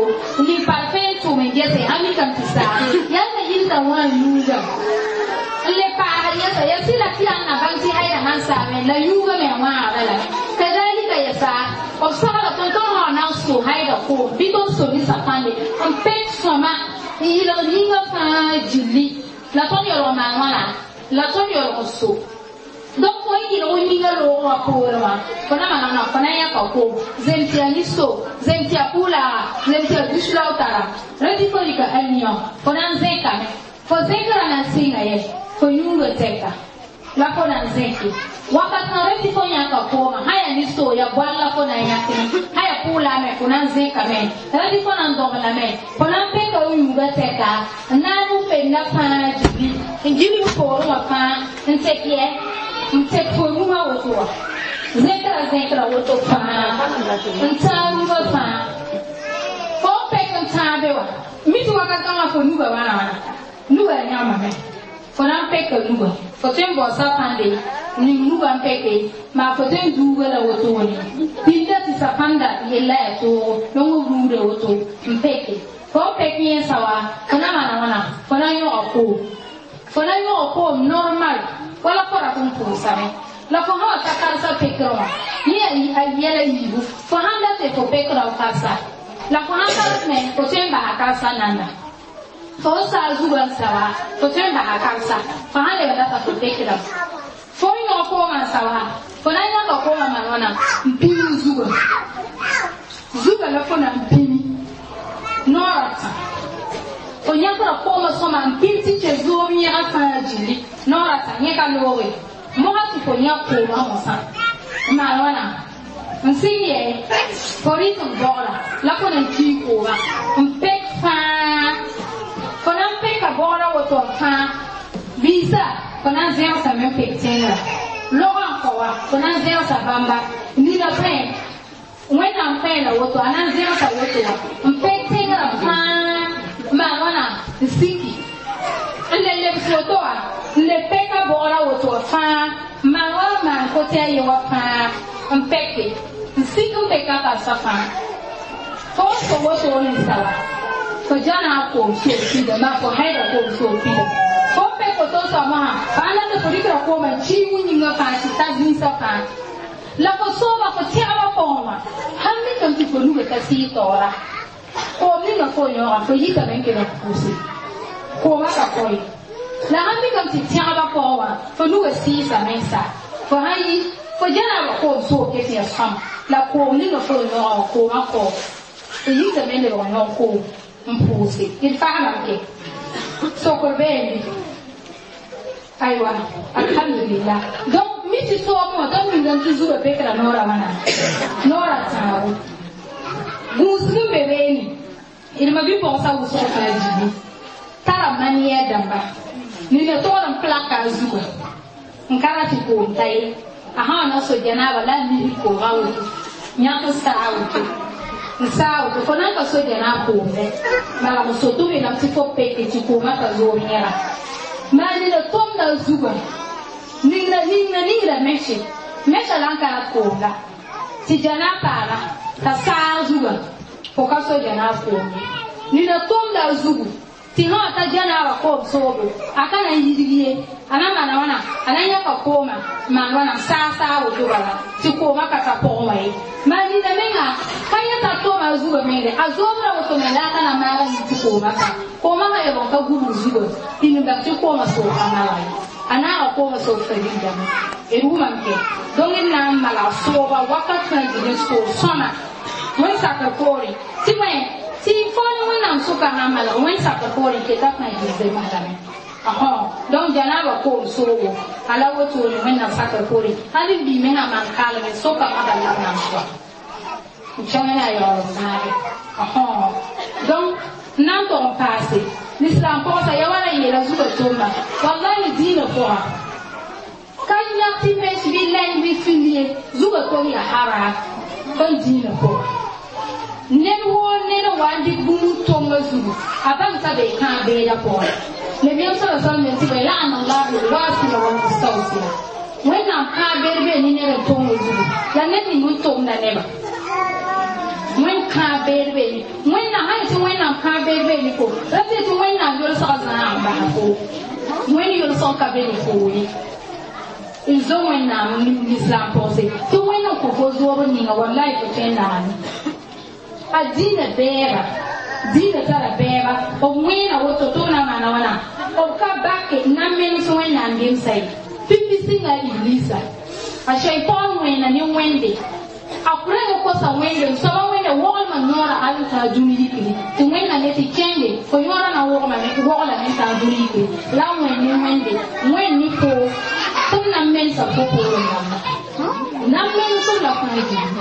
ning parfẽ n tʋm n gese a mikame tɩ saa yaa na yilta wã yũuga n le paasd yɛsa ya sɩla tɩ yaa n na bãng tɩ haida sãn saame la yũuga me wãaga la kazalika yɛsa b sagla tõnd tõnd sã na n so haida koom bɩ tõnd so ne sapãnde n pek sõma n yɩlgd yĩngã fãa gilli la tõnd yaoolg maan wãna la tõnd yaoolg n so donc fo n yɩlg yĩngã loogã wã poorẽ wã fo na maneg na fo na n yãka koom zem tɩ yaa niso zem tɩ yaa pʋʋlaaga zem tɩ yaa dus la w tara rẽ tɩ fo rɩka aniya fo na n zẽkame fo zẽkra na n sɩnga yɛ fo yũuga tɛka la fo na n zẽke wakat sã rẽ tɩ fo yãka koomã sã yaa niso ya boal la fo na n yãkme sã yaa pʋʋlaa me fo na n zẽkame rẽ tɩ fo na n dogl-lame fo na n peka f yũuga tɛka n na n fenda fãa gilli n gilg poorẽ wã fãa n tek yɛ n tek fo nugã woto wã zẽkra zẽkra woto fãa n tãag nugã fãa fo n pek n tãabe wã mi tɩ wakat kãngã fo nugã wãna wãna nugã yãmame fo na n peka nugã fo tõe n bao sapãnde ning nugã n peke maa fo tõe n duuga la wotone pinda tɩ sapãnda yella yaa toogo lõng b ruuda woto n peke fo n pek yẽnsa wa fo na maana wãna fo na n yõga koom fo na n yõga koom normal wala fo rat n pʋʋsame la fo sã wa ta karsa pekrẽ wã yẽ a yɛla yiibu fo sãn dat tɩ fo pekrã f karsa la fo sãn karsme fo tõe n basa karsa nanda fo n saa zugã n sawa fo tõe n basa karsa fo sãn lebg data fo pekrame fo n yõg koomã n sawa fo na n yãka koomã maan wãna n pĩig zugã zugã la fo na n pĩmi noorã tã fo yãkra koomã sõma n pĩm tɩ kẽ zoom yẽgã fãa gilli noorã tã yẽ ka looge moga tɩ fo yãk koomã wã sã n maan wãna N sɩng yɛ fo rɩk n bogla la fo na n kii kooma n pek fãa fo na n peka bogra woto n fãa biisa fo na n zẽgsame n pek tẽngrã logã n kao wa fo na n zẽgsa bãmba nina pẽ wẽnnaam pẽela woto a na n zẽgsa woto wa n pek tẽngrã fãa n maan wãna n siki n le lebs woto wa n le peka bogra woto wa fãa n maan wa n maan kote a ye wa fãa n peke n sik n peka karsa fãa fo n so woto ninsaba fo jana a koom soog pida maa fo haida koom soog pida fo n pek woto n soab wã fa a na tɩ fo dɩkra koomã n kii wĩ-yĩngã fãa tɩ ta zĩisã fãa la fo sooba fo tẽgba pʋgẽ wã sãn mikame tɩ fo nuga ka sɩɩ taoora koom ninga fo yõoga fo yikame n kell n pʋʋse koomã ka koe la sãn mikame tɩ tẽgba pʋgẽ wã fo nuga sɩɩsame n sa fo sãn yi fo janaaba koom soog ke tɩ ya sõma la koom ninga fo yõoga wã koomã kao fo yikame n lebg n yõg koom n pʋʋse d faamame ke sokr beene aywa alhamdulillah donc mi tɩ soobẽ wã tõnd mingame tɩ zugã pekra noorã wãna noorã tãabo gũusg n be beene d ma bi-pɔgsã wʋsg fãa dibi tara maniɛr dãmba nina togd n plaka a zugã n ka ra tɩ koom ta ye a sã wa na so janaaba la a misg koogã woto yãk n saa woto n saa woto fo na n ka so janaab koomdɛ bala f soto yeelame tɩ fo peke tɩ koomã ka zoog yẽga maa nina tʋmda a zugã ningra ningra ningra mɛse mɛsã la n ka rat koom la tɩ janaab paaga t'a saag zugã fo ka so janaab koom ye nina tʋmda a zugu tɩ sã wa ta janaabã koom soobo a ka na n yidg ye a na maana wãna a na n yãka koomã n maan wãna n saag saag woto bala tɩ koomã ka ta pʋgẽ wã ye maa nina menga ka yẽta tʋma a zugã mengre a zoobra woto me la a ka na maaga yɩ tɩ koomã ka koomã sã yebg n ka gubg zugã tɩ nin-bãmb tɩ koomã soog ka malg ye a naaga koomã soog farigdame d wʋmame ke donc d na n malg sooba wakat fãa gil n soog sõma wẽn sakr poore tɩ bõe tɩ fo ne wẽnnaam sʋka sã n malg wẽn sakr poore n keta fãa gil zemsdame donc janaaba koom soogo a la wotone wẽnnaam sakr poore hal n bii mengã maan kaalme sʋka maga la b nan soa n kẽng ne a yaoolem zãage donc n na n tog n paase lislaam pɔgsa ya wala yeela zugã tʋmba wallahi dĩinã pʋga ka yãk tɩ mes bɩ lɛng bɩ fil ye zugã tom ya haram tõnd dĩinã pʋga ned woo ned n wa n dɩk bũmb tonga zugu a bãng t'a be kãag beedã pʋgẽ nabiyaam sala sallam yel tɩ bõe la'ana allahu lwasila walmustawsila wẽnnaam kãag beed bee ne ned n tonga zugu la ned ning n tomda nebã wẽn kãag beed bee ne wẽnnaam sã yetɩ wẽnnaam kãag beed bee ne fo ra tɩ yetɩ wẽnnaam yolsgã zãag n basa fo wẽnd yolsg ka be ne foo ye n zo wẽnnaam lislaam pʋgse tɩ wẽnd n kõ fo zoob n ninga wallahi fo tõe n nagame a dĩinã bɛɛba dĩinã tara bɛɛba b wẽena woto tɩ b na maana wãna b ka bake n na n menes wẽnnaam gemsa ye pipi sɩnga iblisa a shaitan wẽena ne wẽnde a kurẽng kosa wẽnde n soaba wẽnde woglmã yõora hal n tãag dũni yikri tɩ wẽnna ne tɩ kẽnde fo yõora na woglame n tãag dũni yikri la a wẽnd ne wẽnde wẽnd ne fo tɩ b na n mensa fo poorẽ rãmba na n menesem la fãa gilli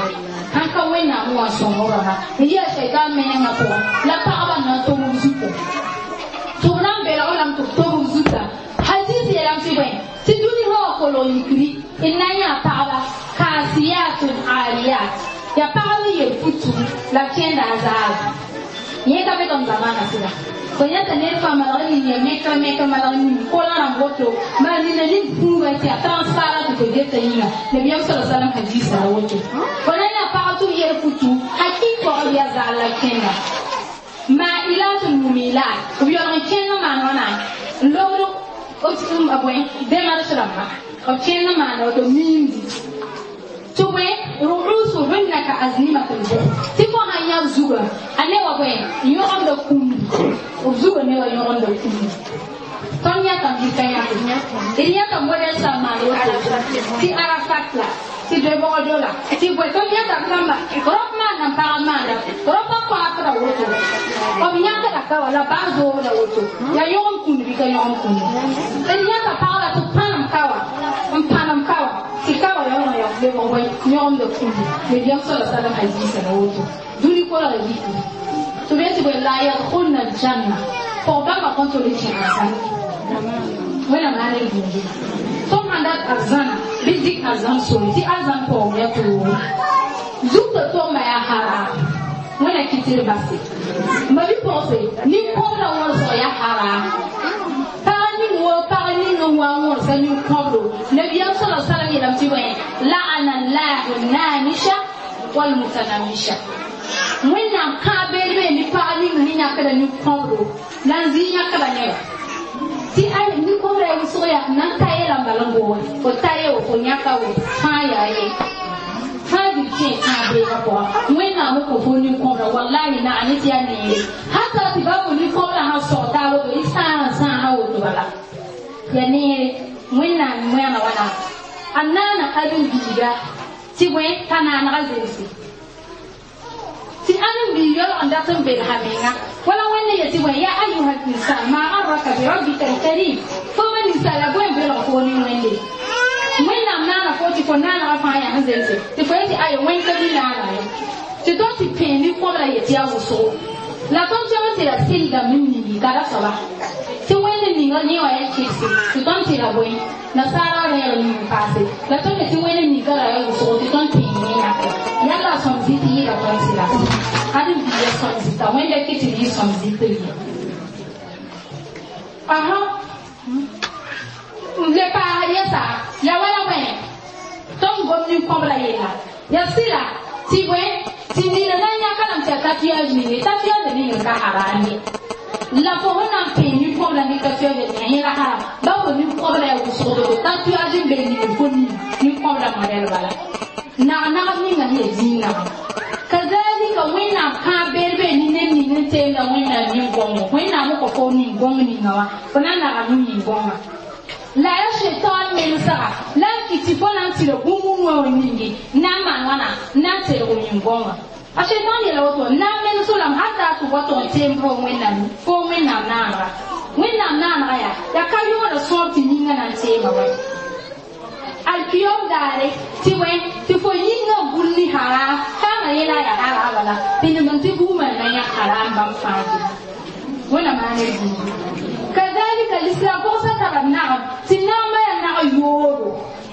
sãn ka wẽnnaam wã sõngr rãmba n yɩ a shaitan menengã pʋgẽ la pagba n na n tog b zuta tɩ b na n belg lame tɩ b tog b zuta hadis yeelame tɩ bõe tɩ dũni sã wã kolg yikri d na n yã pagba kasiyatun ariyat ya pagb n yel futu la b kẽnda a zaaba yẽ ka be tõnd zamana sɩda fo yãta ned fãa malg n ning ya mekr mekr malg n ning kolã rãmb woto maa nina ning fũuga tɩ yaa transparent tɩ fo geta yĩnga nabiyaam sa salam hadisa la woto fo na yã pag tɩ b yel futu hakik pɔgb yaa zaal la kẽnda mailatun mumilat b yaoolg n kẽnd n maan wãna n lobd bõe démarche rãmba b kẽnd n maana woto miimdi tɩ bõe ru'usuhunna ka aznimatil buxt tɩ fo sãn yã zugã a ne wa bõe n yõgemda kũmdi b zugã ne wa yõgemda kũmdi tõnd yãtame bɩ ka yãke d yãta modɛl sã n maan woto tɩ arafat la tɩ doe-bogdo la tɩ bõe tõnd yãtame rãmba rõp maanda n pagb maanda rõpã paasda woto b yãkda ka wa la baa zoobda woto yaa yõgem kũnd bɩ ka yõgem kũndi d yãta pagda tɩ pãnem ka wa n pãnem ka wa tɩ ka wa yaoolg lebg bõe yõgem yõgemda kũndi nabiyaam sala salam hadiisa la woto dũni kolga yiki tɩ b yetɩ bõe la yadkhulna aljanna pʋg bãmba kõn tol n kẽ arzãna wẽnnaam na n buudi tõnd sãn dat arzãna bɩ dɩk arzãn sore tɩ arzãn paoog ya toogo zugtã tʋgma yaa haram wẽna kɩ tɩ d base ma bi-pʋgse nin-kõbra wõsg yaa haram pag ning wo pag ning n wa n wõrsa nin-kõbro nabiyaam sala salam yeelame tɩ bõe la'ana llahu namisha walmutanamisha wẽnnaam kãab beed bee ne pag ning sẽn yãkda nin-kõbro la n zɩ yãkda neba tɩ ay nin-kõbra yaa wʋsg yaa nan ta yeela n bal n boole fo ta ye wo fo yãka wo fãa yaa ye fãa dɩ kẽ kãab beegã pʋga wẽnnaam n kõ fo nin-kõbra wallahi naag ne tɩ yaa neere hata tɩ ba fo nin-kõbra sãn sog taa woto y sãa n sãasa woto bala ya neere wẽnnaam wẽna wãna a naana ãdem-biiga tɩ bõe t'a naanega zemse tɩ ãdem-biig yaoolg n dat n belsa menga wala wẽnd yetɩ bõe ya ayuha insan ma garraka birabbika alkarim fo ma ninsaala bõe n belg fo ne wẽnde wẽnnaam naana fo tɩ fo naanega fãa yaa sẽn zemse tɩ fo yetɩ ayo wẽnd ka mi naana ye tɩ tõnd tɩ pẽe nin-kõbra yetɩ yaa wʋsgo la tõnd tõe tɩ ra sɩldame n ningi ka ra soaba tɩ wẽnd ninga yẽ wã yaa kɩrse tɩ tõnd tɩ ra bõe nasaara reeg ning n paase la tõnd tɩ wẽnd ninga ra yaa wʋsgo tɩ tõnd tɩ yẽ yãke yalla sõm zɩt yɩɩda tõnd sɩda ãdem-biiga sõm zɩta wẽnda kɩ tɩ yɩ sõm zɩt ye aha n le paas yɛsa ya wala bõe tõnd gom nin-kõbra yella ya sɩda tɩ bõe tɩ nina na n yãka lame tɩ yaa tatouage ninge tatouage ning n ka haram ye la fo sẽn na n pẽe nin-kõbra ne tatouage ninga yẽ ra haram ba fo nin-kõbra yaa wʋsgdo tatouage n be ning fo ning nin-kõbra modɛl bala nag-nagb ninga sẽn yaa zĩig-nagb kazalika wẽnnaam kãab beed bee ne ned ning n teemda wẽnnaam nin-gõngo wẽnnaam n kõ fo nin-gõng ninga wã fo na n nagam nin-gõngã la yaa shaitan mensga la n kɩ tɩ fo na n tɩ ra bũmb wã wã ningi na n maan wãna na n telg nin-gõngã a shaitan yeela woto na n menes lame hata tɩ wa tʋg n teem fo wẽnnaam fo wẽnnaam naanega wẽnnaam naanega yaa yaa ka yooda sõor tɩ yĩngã na n teema wa alkiyom daare tɩ wẽ tɩ fo yĩngã gul ne haram fãama yẽla yaa haram bala tɩ nemd tɩ bugmã na yã haram bãmb fãa ge wẽnnaam maan d buudi kazalika l'islam pʋgsa tara nagem tɩ nagmã yaa nag yoodo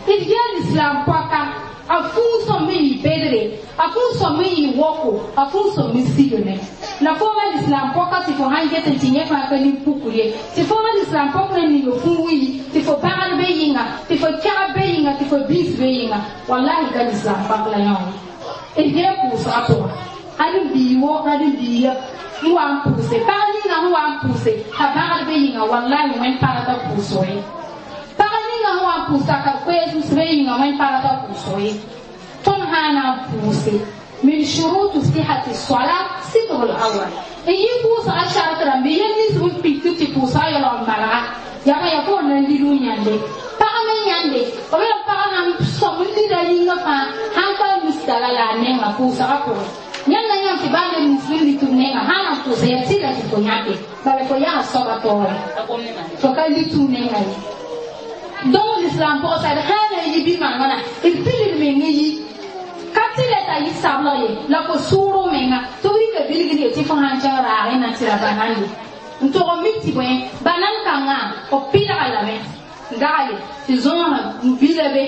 d gee l'islam pɔka a fũu sõm n yɩ bedre a fũu sõm n yɩ woko a fũu sõm n sigme la fo ma l'islam pɔka tɩ fo sãn get n tɩ yẽ fãa ka nin-pukr ye tɩ fo ma l'islam pɔk na ninga fũu n yi tɩ fo bãgr be yɩnga tɩ fo kɛgb be yɩnga tɩ fo biis be yɩnga wallahi ka l'islam pɔk la yã wã d gee pʋʋsgã pʋga ãdem-biig wo ãdem-biiga n wa n pʋʋse pag ninga sẽn wa n pʋʋse t'a bãgr be yĩnga wallahi wẽnd pagda pʋʋsgo ye pag ninga sẽn wa n pʋʋsa ka koees be yĩnga wẽnd pagda pʋʋsgo ye tõnd sã n na n pʋʋse min shurutu sihati solat sitrul awal n yɩ pʋʋsga shart rãmbe yel nins b pik tɩ pʋʋsga yaoolg n malga yaa yaa fo na n lid n yãnde pag me yãnde b yaa pag sãn sõm n lida yĩngã fãa sãn ka mistara la a nenga pʋʋsga pʋgẽ yãmb na yãmb tɩ baa neb nins b lit b nenga sã na n pʋʋsa yaa tɩla tɩ fo yãke bala fo yaa soaba taoore fo ka lit f nenga ye donc l'islam pʋgsa d sã na n yi bɩ maan wãna d pilig meng n yi ka tɩ le t'a yɩ sableg ye la fo sʋʋr menga tɩ b rɩka bilgd ye tɩ fo sãn kẽng raagẽ na tɩ ra banande n tog n mik tɩ bõe banan kãngã b pɩlga lame n dagale tɩ zõosã n bila be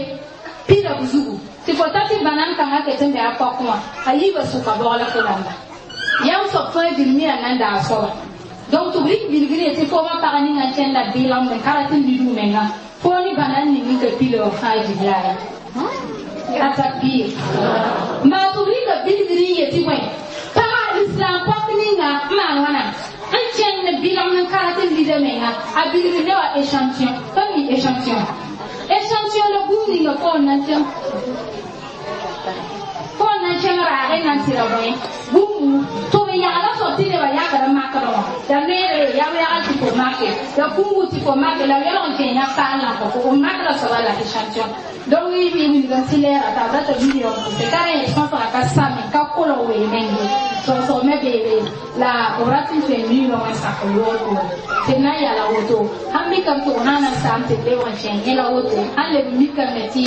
pila b zugu tɩ fo ta tɩ banan kãngã ket n bɩ a pɔkẽ wã a yiibã sʋka bɔgla fo rãmba yãmb soab fãa bilmia nan daa soaba donc tɩ b rɩk bilgr ye tɩ foomã pag ninga n kẽnda bɩɩlgemd n ka rat n lid menga fo ne banan ning n ka pila wã fãa jibla ya a takbir maa tɩ b rɩka bilgr n yetɩ bõe paga islam pɔk ninga n maan wãna n kẽnd bɩlgemd n ka rat n lida menga a bilgr ne wa échantillon tõnd mi échantillon échantillon la bũmb ninga fo n na n kẽng fo n na n kẽng raagẽ na n tɩ ra bõe bũmbu tɩ b yagla soab tɩ nebã yakd n makdẽ wã ya neere ya b yagl tɩ fo make ya kũngu tɩ fo make la b yaoolg n kẽ yã paal la fo b makda soaba la échantillon donc y bɩ wilg n tɩ lɛɛra t'a b rata million pʋse ka rẽ sõsga ka same ka kolg wee meng ye sõsg me beebe la b rat n tõe million n sak loor poore tɩ d na n yala woto sãn mikame tɩ b sã na n saam tɩ d lebg n kẽ yẽ la woto sãn leb n mikame tɩ